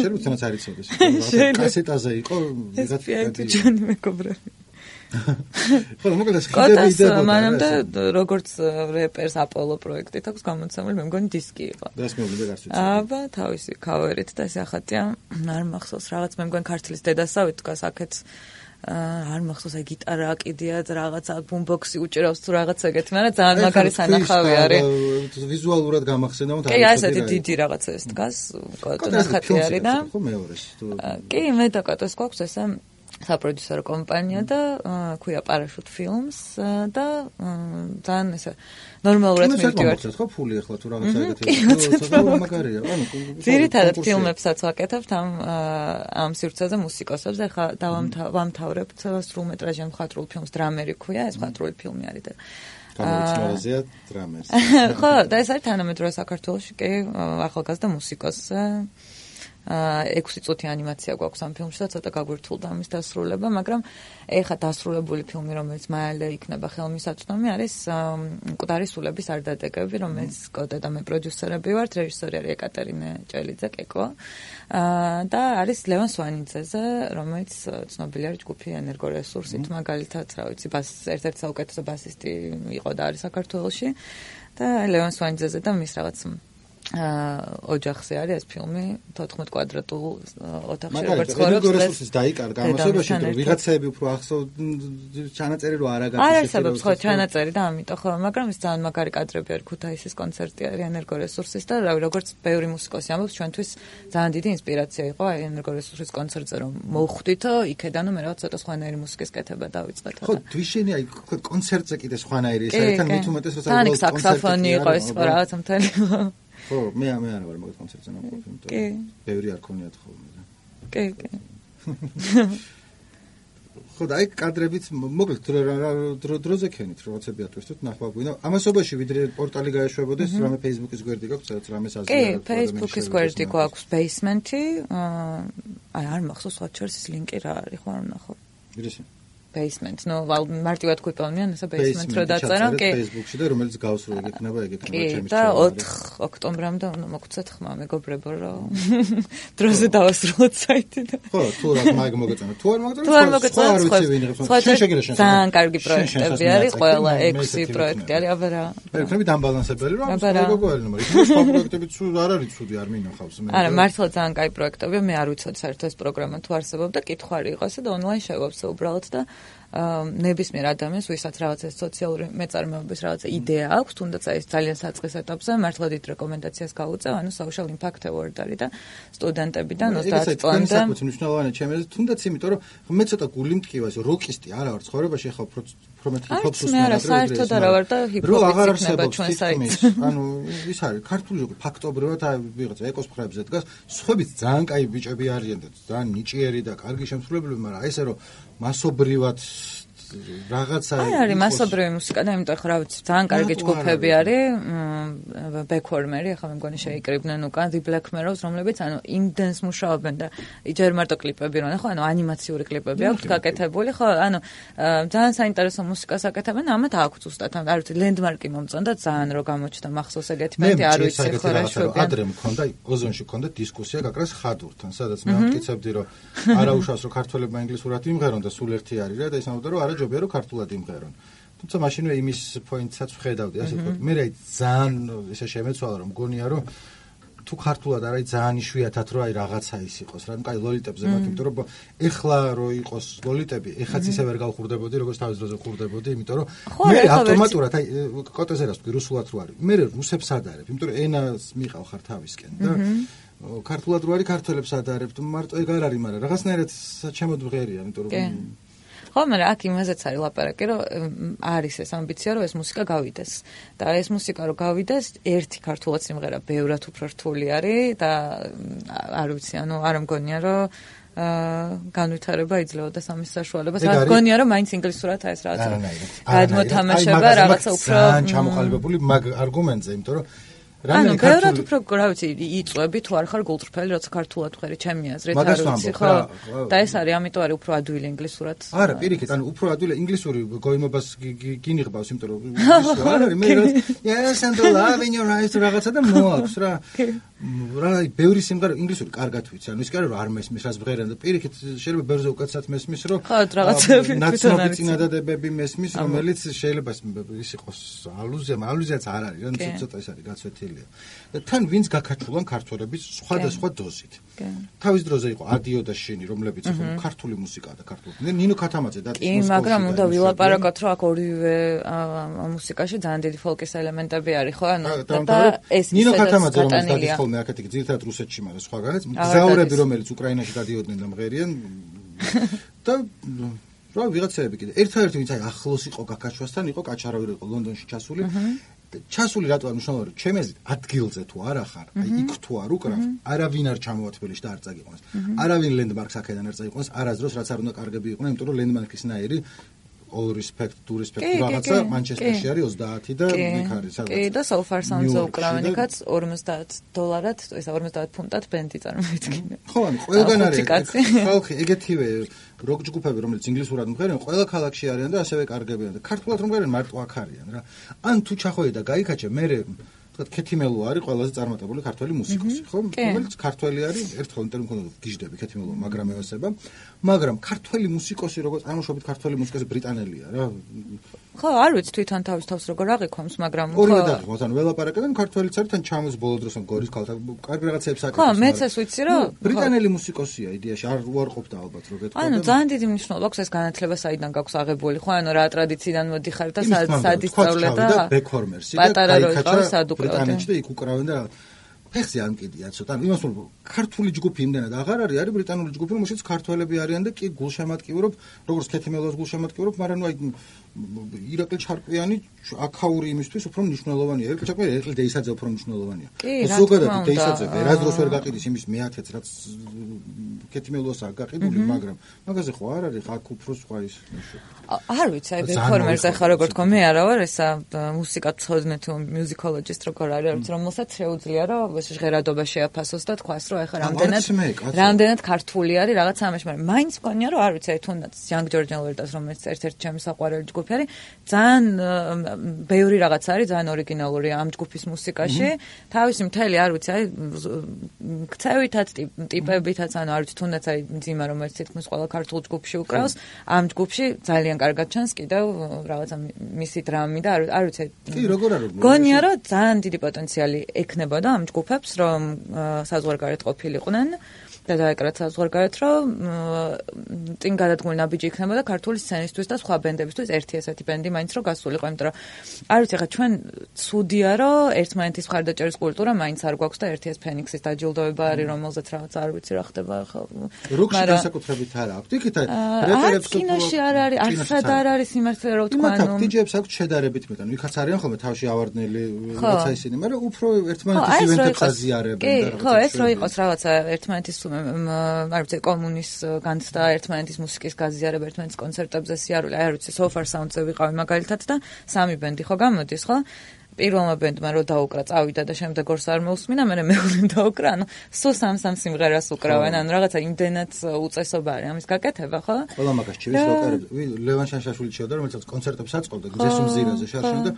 შეიძლება თუნდაც არ იცოდეს. კასეტაზე იყო ვიღაც SPID ჩვენი მეგობრები. ხო, მოკლედ ხიდები იდებოდა. მანამდე როგორც რეპერს აპოლო პროექტით აქვს გამოცემული, მე მგონი დისკი იყო. და ეს მოვიდა გარს ვიცი. აბა, თავისი ქავერით და ეს ახატია, არ მახსოვს რაღაც, მე მგონი ქართლის დედასავით დგას აქეთ არ მახსოვს აი გიტარა აკიდია და რაღაცა ბუმბოქსი უჭირავს თუ რაღაც ეგეთი, მაგრამ ძალიან მაგარი სანახავი არის. ვიზუალურად გამახსენდა, კი, ასეთი დიდი რაღაცა ეს დგას, კოტოს ხატი არის და ხო მეორეს. კი, მე და კოტოს გვაქვს ესე საპროდიუსერო კომპანია და ქვია Parachute Films და ძალიან ესე ნორმალურად მივდივართ. ხო ფული ახლა თუ რაღაცა ეგეთი მაგარია. ანუ ძირითადად ფილმებსაც ვაკეთებთ ამ სივრცეზე მუსიკოსებს. ახლა დავამთავრებთ სრულმეტრაჟიან მხატვრულ ფილმს დრამერი ქვია, ეს მხატვრული ფილმი არის და გამოცემაზეა დრამერს. ხო, და ეს არის თანამედროვე საქართველოში კი ახალგაზრდა მუსიკოსი. 6 წუთი ანიმაცია გვაქვს ამ ფილმში და ცოტა გაგვირთულდა ამის დასრულება, მაგრამ ეხა დასრულებული ფილმი, რომელიც მალე იქნება ხელმისაწვდომი, არის მკვდარი სულების არდადეგები, რომელიც კოტე და მე პროდიუსერები ვართ, რეჟისორი არის ეკატერინე ჭელიძე კეკო და არის ლევან სვანიძეზე, რომელიც ცნობილი არის ჯგუფი ენერგორესურსით, მაგალითად, რა ვიცი, ერთ-ერთი საუკეთესო ბასისტი იყო და არის საქართველოში და ლევან სვანიძეზე და მის რაღაც ოჯახზე არის ეს ფილმი 14 კვადრატულ ოთახში როგორც ცხოვრობს. რესურსის დაიკარგა ამასობაში, რომ ვიღაცები უფრო ახსოვ ჩანაწერი რო არ აგაკეთებს. არ არსებობს ხო ჩანაწერი და ამიტომ ხო, მაგრამ ეს ძალიან მაგარი კადრები არის ქუთაისის კონცერტი არის ენერგორესურსის და რავი როგორც ბევრი მუსიკოსი ამბობს ჩვენთვის ძალიან დიდი ინსპირაცია იყო აი ენერგორესურსის კონცერტზე რომ მოვხვდით იქედან მე რაღაც ცოტა სხვანაირი მუსიკის კეთება დავიწყეთ. ხო, თვიშენი აი კონცერტზე კიდე სხვანაირი ეს არის თან მით უმეტეს რომ საკმაოდ საქსოფონი იყო ეს რაღაცა მთელი ხო, მე არ ვარ მაგათ კონცერტზე ნაყოფი, იმიტომ რომ ბევრი არ ქონიათ ხოლმე. კი. ხო, და აი კადრებით მოკლედ დროზე ქენით, რაღაცები ატვირთოთ, ნახვა გვინდა. ამასობაში ვიდრე პორტალი გაეშვებოდეს, რამე Facebook-ის გვერდი გაქვს, სადაც რამეს აზრია. კი, Facebook-ის გვერდი გვაქვს Basement-ი. აი არ მახსოვს სხვა ჩერს ის ლინკი რა არის, ხო არ ვნახო. ვირისი? Basement, no, მარტივად გვიპოვნიან ესა Basement რო დაწერა, კი. Facebook-ში და რომელიც გავსრულ იქნება, ეგ იქნება ჩემი და 4 ოქტომბრამდე უნდა მოგცეთ ხმა მეგობრებო რომ დროზე დავასრულოთ საიტი და ხო, თუ რა მაგ მოგეწონა, თუ არ მოგეწონა, სხვა არ ვიცი ვინ იყო. შენ შეგერა შენ. ძალიან კარგი პროექტები არის, ყველა 6 პროექტი არის, აბა რა. მე ვქნები დამბალანსებელი რომ მეგობრებო, მაგრამ სხვა პროექტები თუ არ არის ცუდი, არ მინახავს მე. არა, მართლა ძალიან კაი პროექტებია, მე არ ვიცოდი საერთოდ ეს პროგრამა თუ არსებობდა, კითხვარი იყო ესა და ონლაინ შევავსე უბრალოდ და ნებისმიერ ადამიანს, ვისაც რაღაცა სოციალური მეწარმეობის რაღაცა იდეა აქვს, თუნდაც ეს ძალიან საწყის ეტაპზე მართლა დიდ რეკომენდაციას გაუწევ, ანუ Social Impact Award არის და სტუდენტებიდან 30 წლამდე. ეს მნიშვნელოვანია ჩემს, თუნდაც იმიტომ რომ მე ცოტა გული მткиვა, როკისტი არა ვარ ცხოვრებაში, ახლა უფრო მეტი ჰიპ-ჰოპს მე არა, საერთოდ არა ვარ და ჰიპ-ჰოპის იქნება ჩვენ საიტზე. ანუ ის არის ქართული ფაქტობრივად ვიღაცა ეკოს მხრებზე დგას, სხვაებიც ძალიან კაი ბიჭები არიან და ძალიან ნიჭიერი და კარგი შემსრულებლები, მაგრამ ესე რომ მასობრივად რაღაცა არის მასობრივი მუსიკა და იმიტომ ხო რა ვიცი ძალიან კარგი ჯგუფები არის Backwarmeri ახლა მე მგონი შეიკრიბნენ უკან The Black Mirrors რომლებიც ანუ იმდენს მუშაობენ და ჯერ მარტო კლიპები რონა ხო ანუ ანიმაციური კლიპები აქვს გაკეთებული ხო ანუ ძალიან საინტერესო მუსიკას აკეთებენ ამათ აქვს ზუსტად არ ვიცი ლენდმარკი მომწონდა ძალიან რო გამოჩნდა მახსოვს ეგეთი მეტი არ ვიცი ხო რა შვებიან ადრე მქონდა ოზონში მქონდა დისკუსია გაკრას ხადურთან სადაც მე ამტკიცებდი რომ არა უშავს რომ ქართველებმა ინგლისურად იმღერონ და სულ ერთი არის რა და ისამბობდა რომ არა ჯობია რომ ქართულად იმღერონ თუმცა მაშინვე იმის პოინტსაც ვხედავდი ასე ვთქვათ მე რა ძალიან ესე შემეცვალა რომ მგონია რომ თუ ქართულად არის ძალიან იშვიათად რომ აი რაღაცა ის იყოს რა ნუ კაი ლოლიტებზე მათ იმიტომ რომ ეხლა რო იყოს ლოლიტები ეხაც ისე ვერ გავხურდებოდი როგორც თავის დროზე ხურდებოდი იმიტომ რომ მე ავტომატურად აი კოტეზე რას ვთქვი რუსულად რო არის მე რუსებს ადარებ იმიტომ რომ ენას მიყავ ხარ თავისკენ და ქართულად რო არის ქართველებს ადარებ მარტო ეგ არ არის მაგრამ რაღაცნაირად საჩემოდ ვღერია იმიტომ რომ ხო, მაგრამ აქ იმაზეც არის ლაპარაკი, რომ არის ეს ამბიცია, რომ ეს მუსიკა გავიდეს. და ეს მუსიკა რომ გავიდეს, ერთი ქართულად სიმღერა ბევრად უფრო რთული არის და არ ვიცი, ანუ არ მგონია, რომ განვითარება იძლეოდა სამის საშუალებას. არ მგონია, რომ მაინც ინგლისურად ეს რაღაცა გადმოთამაშება, რაღაცა უფრო ჩამოყალიბებული მაგ არგუმენტზე, იმიტომ რომ ანუ ბევრად უფრო რა ვიცი იწვევი თუ არ ხარ გულწრფელი როცა ქართულად ვხერი ჩემი აზრით არ ვიცი ხო და ეს არის ამიტომ არის უფრო ადვილი ინგლისურად არა პირიქით ანუ უფრო ადვილი ინგლისური გოიმობას გინიღბავს იმიტომ რომ ინგლისური არ არის მე yes and the love in your eyes რაღაცა და მოაქვს რა რა ბევრი სიმღერა ინგლისური კარგად ვიცი ანუ ის კი არა რომ არ მესმის რას ვღერენ და პირიქით შეიძლება ბევრზე უკეთესად მესმის რომ ხო რაღაცები ნაცნობი წინადადებები მესმის რომელიც შეიძლება ის იყოს ალუზიაც არ არის რა ცოტა ეს არის გაცვეთილი და თან ვინც გაკაჩულან ქართველების სხვადასხვა დოზით. თავის დროზე იყო ადიო და შენი, რომლებიც იყო ქართული მუსიკა და ქართული. ნინო ქათამაძე და კი, მაგრამ უნდა ვილაპარაკოთ, რომ აქ ორივე მუსიკაში ძალიან დიდი ფოლკის ელემენტები არის, ხო? ანუ და ეს ნინო ქათამაძე რომელიც დადის ხოლმე აქეთ ძირითადად რუსეთში, მაგრამ სხვაგანაც მგზავრები რომელიც უკრაინაში დადიოდნენ და მღერიან და რა ვიღაცები კიდე ერთადერთი ვინც აი ახლოს იყო გაკაჩვასთან იყო კაჩარავი იყო ლონდონში ჩასული ჩასული რატო არ მნიშვნელოვანია ჩემი აზრით ადგილზე თუ არ ახარ აი იქ თუ არ უკრავ არავინ არ ჩამოვა თბილისში და არ წაგიყვანს არავინ ლენდმარკს აქედან არ წაიყვანს არასდროს რაც არ უნდა კარგები იყვნენ იმიტომ რომ ლენდმარკის ნაირი all respect to respect რაღაცა მანჩესტერში არის 30 და იქ არის სადაც კი და so far sounds-ო უკრავენ იქაც $50 ესა 50 ფუნტად ბენდი წარმოიდგინე ხო ანუ ყველგან არის ხალხი ეგეთივე როკ ჯგუფები რომელიც ინგლისურად მღერიან ყველა ქალაქში არიან და ასევე კარგებიან და ქართულად რომ მღერიან მარტო აქ არიან რა ან თუ ჩახოვე და გაიქაჩე მე თქვა ქეთიმელო არის ყველაზე წარმატებული ქართველი მუსიკოსი ხო რომელიც ქართველი არის ერთხელ ინტერვიუ მქონდა გიჟდები ქეთიმელო მაგრამ ევასება მაგრამ ქართველი მუსიკოსი როგორც წარმოშობით ქართველი მუსიკოსი ბრიტანელია რა ხო არ ვიცი თვითონ თავის თავს როგორ აღიქვამს მაგრამ ორივე დაგიყვანს ანუ ველაპარაკებენ ქართველიც არის თან ჩამოს ბოლო დროს ან გორის ქალთან კარგი რაღაცებს აკეთებს ხო მეც ეს ვიცი რომ ბრიტანელი მუსიკოსია იდეაში არ უარყოფდა ალბათ რო გეტყოდა ანუ ძალიან დიდი მნიშვნელობა აქვს ეს განათლება საიდან გაქვს აღებული ხო ანუ რა ტრადიციიდან მოდიხარ და სად ისწავლე და ბექორმერსი და პატარა რო იყო სად ბრიტანეთში და იქ უკრავენ და ფეხზე არ მკიდია ცოტა იმას რომ ქართული ჯგუფი იმდენად აღარ არის ბრიტანული ჯგუფი რომელშიც ქართველები არიან და კი გულშემატკივრობ როგორც ქეთიმელოს გულშემატკივრობ მაგრამ ნუ აი ირაკლი ჩარკვიანი აქაური იმისთვის უფრო მნიშვნელოვანია ირაკლი ჩარკვიანი ირაკლი დეისაძე უფრო მნიშვნელოვანია ზოგადად დეისაძე ვერასდროს ვერ გაყიდის იმის მეათეც რაც ქეთიმელოსა გაყიდული მაგრამ მაგაზე ხო არ არის აქ უფრო სხვა ის არ ვიცი აი ბექორმერზე ხარ როგორ თქო მე არა ვარ ესა მუსიკა ცოდნე თუ მუსიკოლოგისტ როგორ არის არ ვიცი რომელსაც შეუძლია რომ ჟღერადობა შეაფასოს და თქვას რომ ეხლა რამდენად ქართული არის რაღაც ამაში მაგრამ მაინც მგონია რომ არ ვიცი აი თუნდაც Young Georgian Lordas რომელიც ერთ-ერთი ჩემი საყვარელი ჯგუფი არის ძალიან ბევრი რაღაც არის ძალიან ორიგინალური ამ ჯგუფის მუსიკაში თავისი მთელი არ ვიცი აი ქცევითაც ტიპებითაც ანუ არ ვიცი თუნდაც აი ძიმა რომელიც თითქმის ყველა ქართულ ჯგუფში უკრავს ამ ჯგუფში ძალიან კარგად ჩანს კიდევ რაღაცა მისი დრამი და არ ვიცი კი როგორ არის გონია რომ ძალიან დიდი პოტენციალი ექნებოდა ამ ჯგუფებს რომ საზღვარგარეთ ყოფილიყვნენ და დაეკრათ საზღვარგარეთ რომ წინ გადადგმული ნაბიჯი იქნებოდა ქართული სცენისთვის და სხვა ბენდებისთვის ერთი ესეთი ბენდი მაინც რომ გასულიყო იმიტომ რომ არ ვიცი ხა ჩვენ ცუდია რომ ერთმანეთის მხარდაჭერის კულტურა მაინც არ გვაქვს და ერთი ეს ფენიქსის დაჯილდოება არის რომელზეც რაღაც არ ვიცი რა ხდება ხა როკში განსაკუთრებით არა აქვს იქით რეპერებს კინოში არ არის არცად არ არის სიმართლე რომ თქვა ანუ დიჯეებს აქვს შედარებით მეტად იქაც არიან ხოლმე თავში ავარდნელი რაღაცა ისინი მაგრამ უფრო ერთმანეთის ივენტებს აზიარებენ და რაღაცა ხო ეს რო იყოს რაღაცა ერთმანეთის არ ვიცი კომუნის განცდა ერთმანეთის მუსიკის გაზიარება ერთმანეთის კონცერტებზე სიარული არ ვიცი so far sounds-ზე ვიყავი მაგალითად და სამი ბენდი ხო გამოდის ხო პირველმა ბენდმა რო დაუკრა წავიდა და შემდეგ ორს არ მოусმინა მე მეულემ დაუკრა ანუ სულ სამ სიმღერას უკრავენ ანუ რაღაცა იმდენად უწესობა არის ამის გაკეთება ხო ყველა მაგას ჩივის როკერები ლევან შანშაშვილი ჩიოდა რომელსაც კონცერტებს აწყობდა გზის მზირაზე შარშან და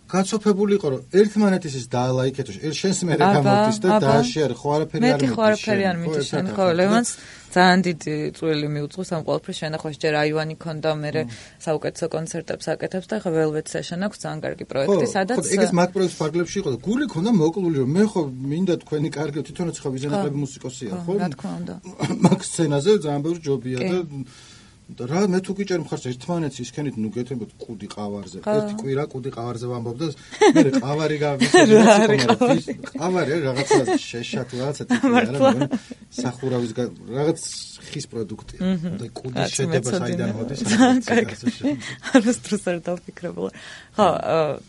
გაცოფებული იყო რომ ერთმანეთის ის დაალაიქეთო შენს მე გამოდის და დააშიარე ხო არაფერი არ მიდის შენ ხო ლევანს ძალიან დიდი წვლილი მიუძღვის ამ ყველაფრის შენახვაში ჯერ აივანი ქონდა მე საუკეთესო კონცერტებს აკეთებს და ხო Velvet Session აქვს ძალიან კარგი პროექტი სადაც ხო ეგეც მაგ პროექტს ფარგლებში იყო და გული ქონდა მოკლული რომ მე ხო მინდა თქვენი კარგი თვითონაც ხო ვიზენაკლები მუსიკოსია ხო რა თქმა უნდა მაგ სცენაზე ძალიან ბევრი ჯობია და რა მე თუ გიჭერ მხარს ერთმანეთს ისქენით ნუ გეთებოთ კუდი ყავარზე ერთი კვირა კუდი ყავარზე ვამბობ და მე ყავარი გავისწრებ ყავარი რაღაცა შეშა თუ რაღაცა ტიპი არა სახურავის რაღაც ხის პროდუქტია და კუდის შედება საიდან მოდის არასდროს არ დავფიქრებულა ხო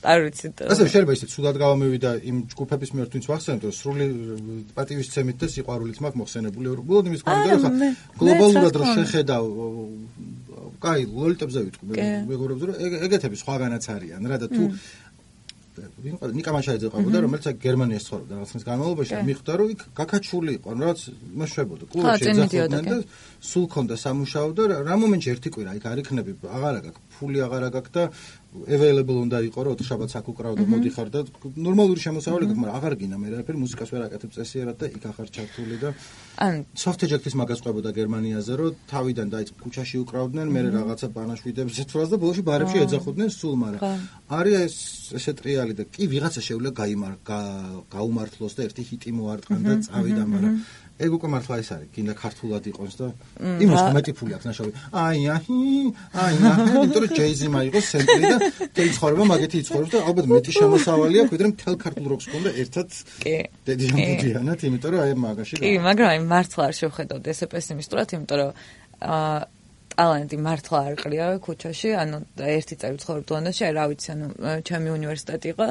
არ ვიცი ასე შეიძლება ისე ცუდად გავამევიდა იმ ჯგუფების მიერ თუნდაც ვახსენებ რომ სრული პატივისცემით და სიყვარულით მაქვს მოხსენებული უბრალოდ იმის გამო რომ გლობალურად რომ შეხედავ კაი ლოლიტებზე ვიტყვი მეგობრებს რომ ეგეთები სხვაგანაც არიან რა და თუ ნიკა მაშაიძე ყავდა რომელიც გერმანიაში ცხოვრობდა რაღაცის განმავლობაში მიხვდა რომ იქ გაკაჩული იყო რაღაც იმაშვებოდა კლუბში ეძახოდნენ და სულ ქონდა სამუშაო და რა მომენტში ერთი კვირა იქ არ იქნები აღარა გაქვს ფული აღარა გაქვს და available უნდა იყო რომ 4 შაბათს აქ უკრავდა მოდიხარ და ნორმალური შემოსავალი გაქვს მაგრამ აღარ გინდა მე რაფერი მუსიკას ვერ აკეთებ წესიერად და იქ ახარ ჩართული და ან soft eject-ის მაგას ყვებოდა გერმანიაზე რომ თავიდან დაიწყო ქუჩაში უკრავდნენ მე რაღაცა ბანაშვიდებს ეთვრას და ბოლოში ბარებში ეძახოდნენ სულ მაგრამ არის ესე ტრიალი და კი ვიღაცა შეუძლია გაუმართლოს და ერთი ჰიტი მოარტყან და წავიდა მაგრამ ეგ უკვე მართლა ის არის გინდა ქართულად იყოს და იმას მეტი ფული აქვს ნაშავი იმიტომ რომ ჯეიზი მაიღოს სენტრი და თელი ცხოვრება მაგეთი იცხოვრებს და ალბათ მეტი შემოსავალი აქვს ვიდრე მთელ ქართულ როკს ქონდა ერთად დედიანად იმიტომ რომ აი მაგაში კი მაგრამ აი მართლა არ შევხედავდი ესე პესიმისტურად იმიტომ რომ ტალანტი მართლა არ ყრია ქუჩაში, ანუ ერთი წელი ცხოვრობ ლონდონში, რა ვიცი, ანუ ჩემი უნივერსიტეტი იყო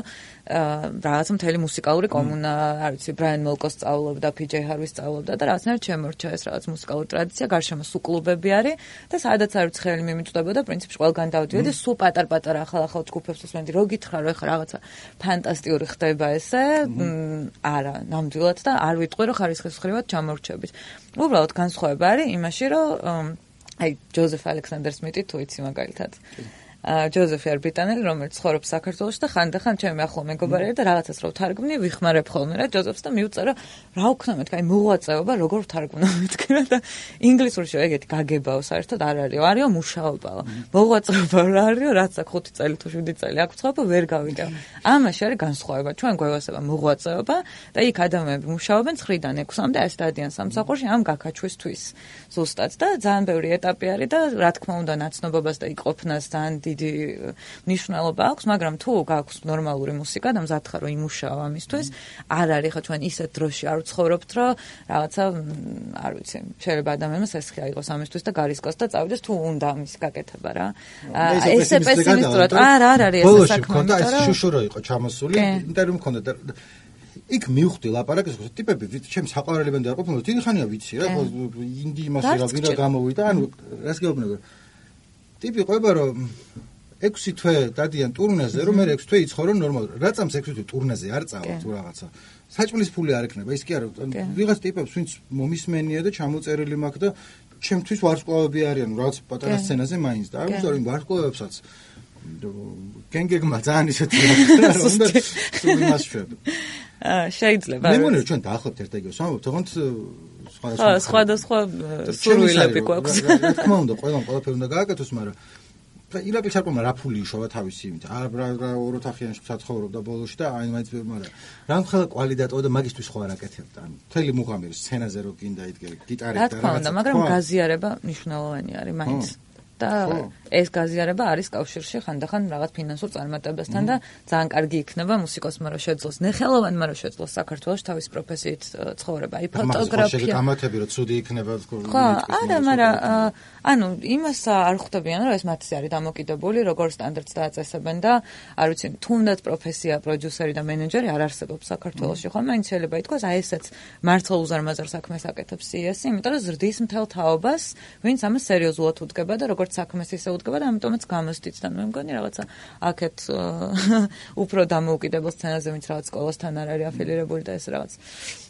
რაღაცა მთელი მუსიკალური კომუნა, არ ვიცი, ბრაიან მელკოს სწავლობდა, PJ Harvey სწავლობდა და რაღაცნაირად შემორჩა ეს რაღაც მუსიკალური ტრადიცია, გარშემო სულ კლუბები არის და სადაც არ ვიცი ხელი მიმიწვდებოდა, პრინციპში ყველგან დავდიოდი, სულ პატარ-პატარა ახალ ჯგუფებს ვსმენდი, რო გითხრა, რომ ეხლა რაღაცა ფანტასტიკური ხდება ესე, არა, ნამდვილად და არ ვიტყვი, რომ ხარისხისმხრივად ჩამორჩებით. უბრალოდ განსხვავება არის იმაში, რომ აი ჯოზეფ ალექსანდერ სმიტი თუ იცი მაგალითად. ჯოზეფი არის ბრიტანელი, რომელიც ცხოვრობს საქართველოში და ხანდახან ჩემი ახლო მეგობარია და რაღაცას რო ვთარგმნი, ვიხმარებ ხოლმე რა ჯოზეფს და მივწერა რა ვქნა მეთქი, აი მოღვაწეობა როგორ ვთარგმნო მეთქი რა და ინგლისურში ეგეთი გაგებაო საერთოდ არ არისო, არისო მუშაობაა. მოღვაწეობა რა არისო, რაც აქ 5 წელი თუ 7 წელი აქ ვცხოვრობ ვერ გავიგებ. ამაში არის განსხვავება. ჩვენ გვევასება მოღვაწეობა და იქ ადამიანები მუშაობენ 9-დან 6-მდე, ასე დადიან სამსახურში ამ გაქაჩვისთვის ზუსტად და ძალიან ბევრი ეტაპი არის და რა თქმა უნდა ნაცნობობას და იყოფნას ძალიან დიდი მნიშვნელობა აქვს, მაგრამ თუ გაქვს ნორმალური მუსიკა და მზად ხარ რომ იმუშაო ამისთვის, არ არის ხო ჩვენ ისეთ დროში არ ვცხოვრობთ, რომ რაღაცა არ ვიცი, შეიძლება ადამიანმა სესხი აიღოს ამისთვის და გარისკოს და წავიდეს თუ უნდა ამის გაკეთება რა. ესე პესიმისტურად არ არის ეს საქმე. მქონდა ეს შუშურო იყო ჩამოსული, ინტერვიუ მქონდა და იქ მივხვდი ლაპარაკის ტიპები, ჩემს საყვარელი ბენდი არ ყოფილა, დიდი ხანია ვიცი რა, ინდი იმასე რა ვირა გამოვიდა, ანუ რას გეუბნება. ტიპი ყვება რომ 6 თვე დადიან ტურნეზე, რომ მე 6 თვე იცხოვრო ნორმალურად. რა წამს 6 თვე ტურნეზე არ წავა თუ რაღაცა. საჭმლის ფული არ ექნება, ის კი არა, ვიღაც ტიპებს ვინც მომისმენია და ჩამოწერილი მაქვს და ჩემთვის ვარსკვლავები არიან, რაღაც პატარა სცენაზე მაინც და არ ვიცი, ვარსკვლავებსაც გენგეგმა ძალიან ისეთი რა უნდა იმას შვებ. შეიძლება. მე მგონი რომ ჩვენ დაახლოებით ერთ-ეგებს ვამბობთ, თუმცა სხვადასხვა სურვილები გვაქვს. რა თქმა უნდა, ყველაფერი უნდა გააკეთოს, მაგრამ ირაკლი ჩარკვემა რა ფული იშოვა თავისი იმით. რა ოროთახიანში საცხოვრობდა ბოლოში და აი მაინც მაგრამ რამხელა კვალიდატო და მაგისთვის ხო არ აკეთებდა. ანუ მთელი მუღამი სცენაზე რო გინდა იდგე გიტარით და რაღაცა. მაგრამ გაზიარება მნიშვნელოვანი არის მაინც. და ეს გაზიარება არის კავშირში ხანდახან რაღაც ფინანსურ წარმატებასთან და ძალიან კარგი იქნება მუსიკოსმა რომ შეძლოს ნეხელოვანმა რომ შეძლოს საქართველოს თავის პროფესიით ცხოვრება. აი ფოტოგრაფია. გამათები რომ ცუდი იქნება თქო. ხო, არა, მაგრამ ანუ იმას არ ხვდებიან რომ ეს მათზე არის დამოკიდებული, როგორ სტანდარტს დააწესებენ და არ ვიცი, თუნდაც პროფესია პროდიუსერი და მენეჯერი არ არსებობს საქართველოში, ხო? მაინც შეიძლება ითქვას, აი ესეც მართლა უზარმაზარ საქმეს აკეთებს CS-ი, იმიტომ რომ ზრდის მთელ თაობას, ვინც ამას სერიოზულად უდგება და როგორც საქმეს ისე უდგება და ამიტომაც გამოსდით და მე მგონი რაღაცა აქეთ უფრო დამოუკიდებელ სცენაზე ვინც რაღაც სკოლასთან არ არის აფილირებული და ეს რაღაც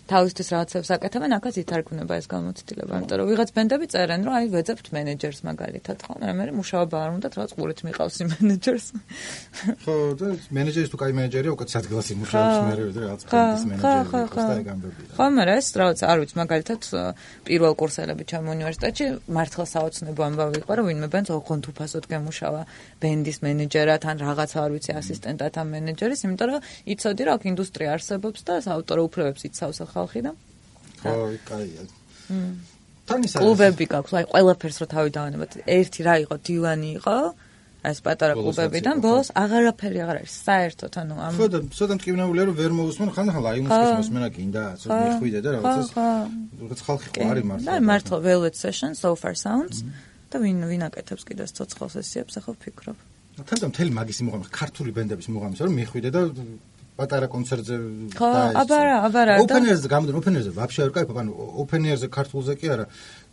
თავისთვის რაღაცებს აკეთებენ, აქაც ითარგმნება ეს გამოცდილება, იმიტომ რომ ვიღაც ბენდები წერენ, რომ აი ვეძებთ მენეჯერს მაგალითად, ხო, მაგრამ მე მუშაობა არ უნდა, რაღაც ყურით მიყავს იმ მენეჯერს. ხო, და მენეჯერის თუ კაი მენეჯერია, უკეთ ადგილას იმუშავებს, მე რაღაც ფენდის მენეჯერი იყოს და ეგ ამბები. ხო, მაგრამ ეს რაღაც არ ვიცი, მაგალითად პირველ კურსელები ჩემ უნივერსიტეტში მართლა საოცნებო ამბავი იყო, რომ ვინმე ბენდს ოღონდ უფასოდ გემუშავა ბენდის მენეჯერად ან რაღაცა არ ვიცი ასისტენტად ამ მენეჯერის, იმიტომ რომ იცოდი რომ აქ ინდუსტრია არსებობს და საავტორო უფლებებს იცავს ხალხი და ხო, კაია. თან ის კლუბები გაქვს, აი ყველაფერს რო თავი დავანებოთ. ერთი რა იყო, დივანი იყო, ეს პატარა კლუბებიდან ბოლოს აღარაფერი აღარ არის საერთოდ, ანუ ამ ხო და ცოტა მტკივნეულია რომ ვერ მოусმენ, ხანდახან აი მუსიკის მოსმენა გინდა, ცოტა მიხვიდე და რაღაცას რაღაც ხალხი ხო არის მართლა. და მართლა Velvet Session, So Far Sounds და ვინ აკეთებს კიდე ცოცხალ სესიებს, ახლა ვფიქრობ. თან მთელი მაგისი მუღამი, ქართული ბენდების მუღამის რომ მიხვიდე და პატარა კონცერტზე ხო, აბარა. ოპენერზე გამოდენ, ოპენერზე ვაფშე არ кайფობ, ანუ ოპენერზე ქართულზე კი არა.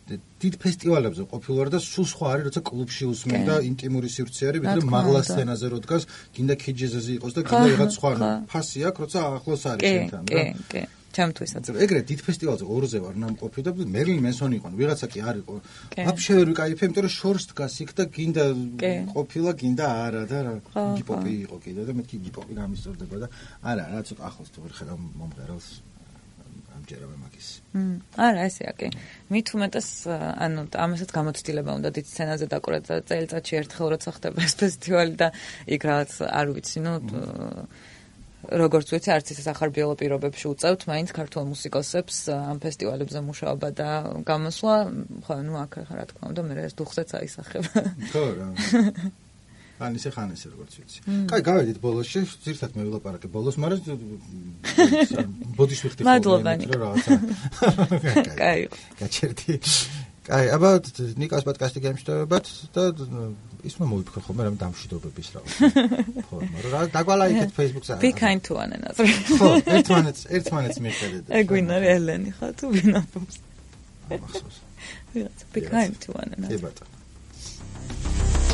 დიდ ფესტივალებზე ყოფილვარ და სულ სხვა არის, როცა კლუბში უსმენ და ინტიმური სივრცე არის, ვიდრე მაღლა სცენაზე რო დგას, გინდა ქიჯეზეზე იყოს და გინდა რაღაც სხვა ფასი აქვს, როცა ახლოს არის შენთან და კი. ჩემთვისაც. ეგრეთ დიდ ფესტივალზე ორზე ვარ ნამყოფი და მერლინ მენსონი იყო, ვიღაცა კი არ იყო. ვაფშე ვერ ვიკაიფე, იმიტომ რომ შორს დგას იქ და გინდა ყოფილა, გინდა არა და ჰიპ-ჰოპი იყო კიდე და მეთქი ჰიპ-ჰოპი გამისწორდება და არა, რა ცოტა ახლოს თუ ვერ ხედავ მომღერალს ამჯერავე მაგის. არა, ესეა კი. მით უმეტეს, ანუ ამასაც გამოცდილება უნდა დიდ სცენაზე დაკვრა და წელიწადში ერთხელ როცა ხდება ეს ფესტივალი და იქ რაღაც არ ვიცი, ნუ როგორც ვიცი, არც ისე სახარბიელო პირობებში უწევთ მაინც ქართულ მუსიკოსებს ამ ფესტივალებზე მუშაობა და გამოსვლა, ხო, ნუ აქ რა თქმა უნდა, მე ეს დუხზეც აისახება. ხო რა. ან ისე ხან ესე როგორც ვიცი. კაი, გავედით ბოლოსში, ზირთად მე ვილაპარაკე ბოლოს, მაგრამ ბოდიში ვიხდი ხოლმე, მადლობა. რაღაცა. კაი. გაჩერდი. კაი, აბა ნიკას პოდკასტი გემშვიდობებად და ისმა მოიფიქრო ხოლმე რამე დამშვიდობების რა. ხო, მაგრამ დაგვალაიქეთ Facebook-ზე. Be kind to one another. ხო, ერთმანეთს მიხედეთ. ეგვინა ელენი ხა თუ ვინაფობს. ახსოვს. Be kind to one another. კი ბატონო.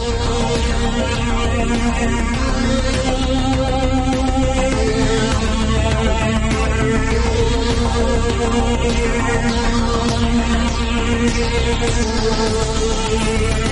We'll be right back.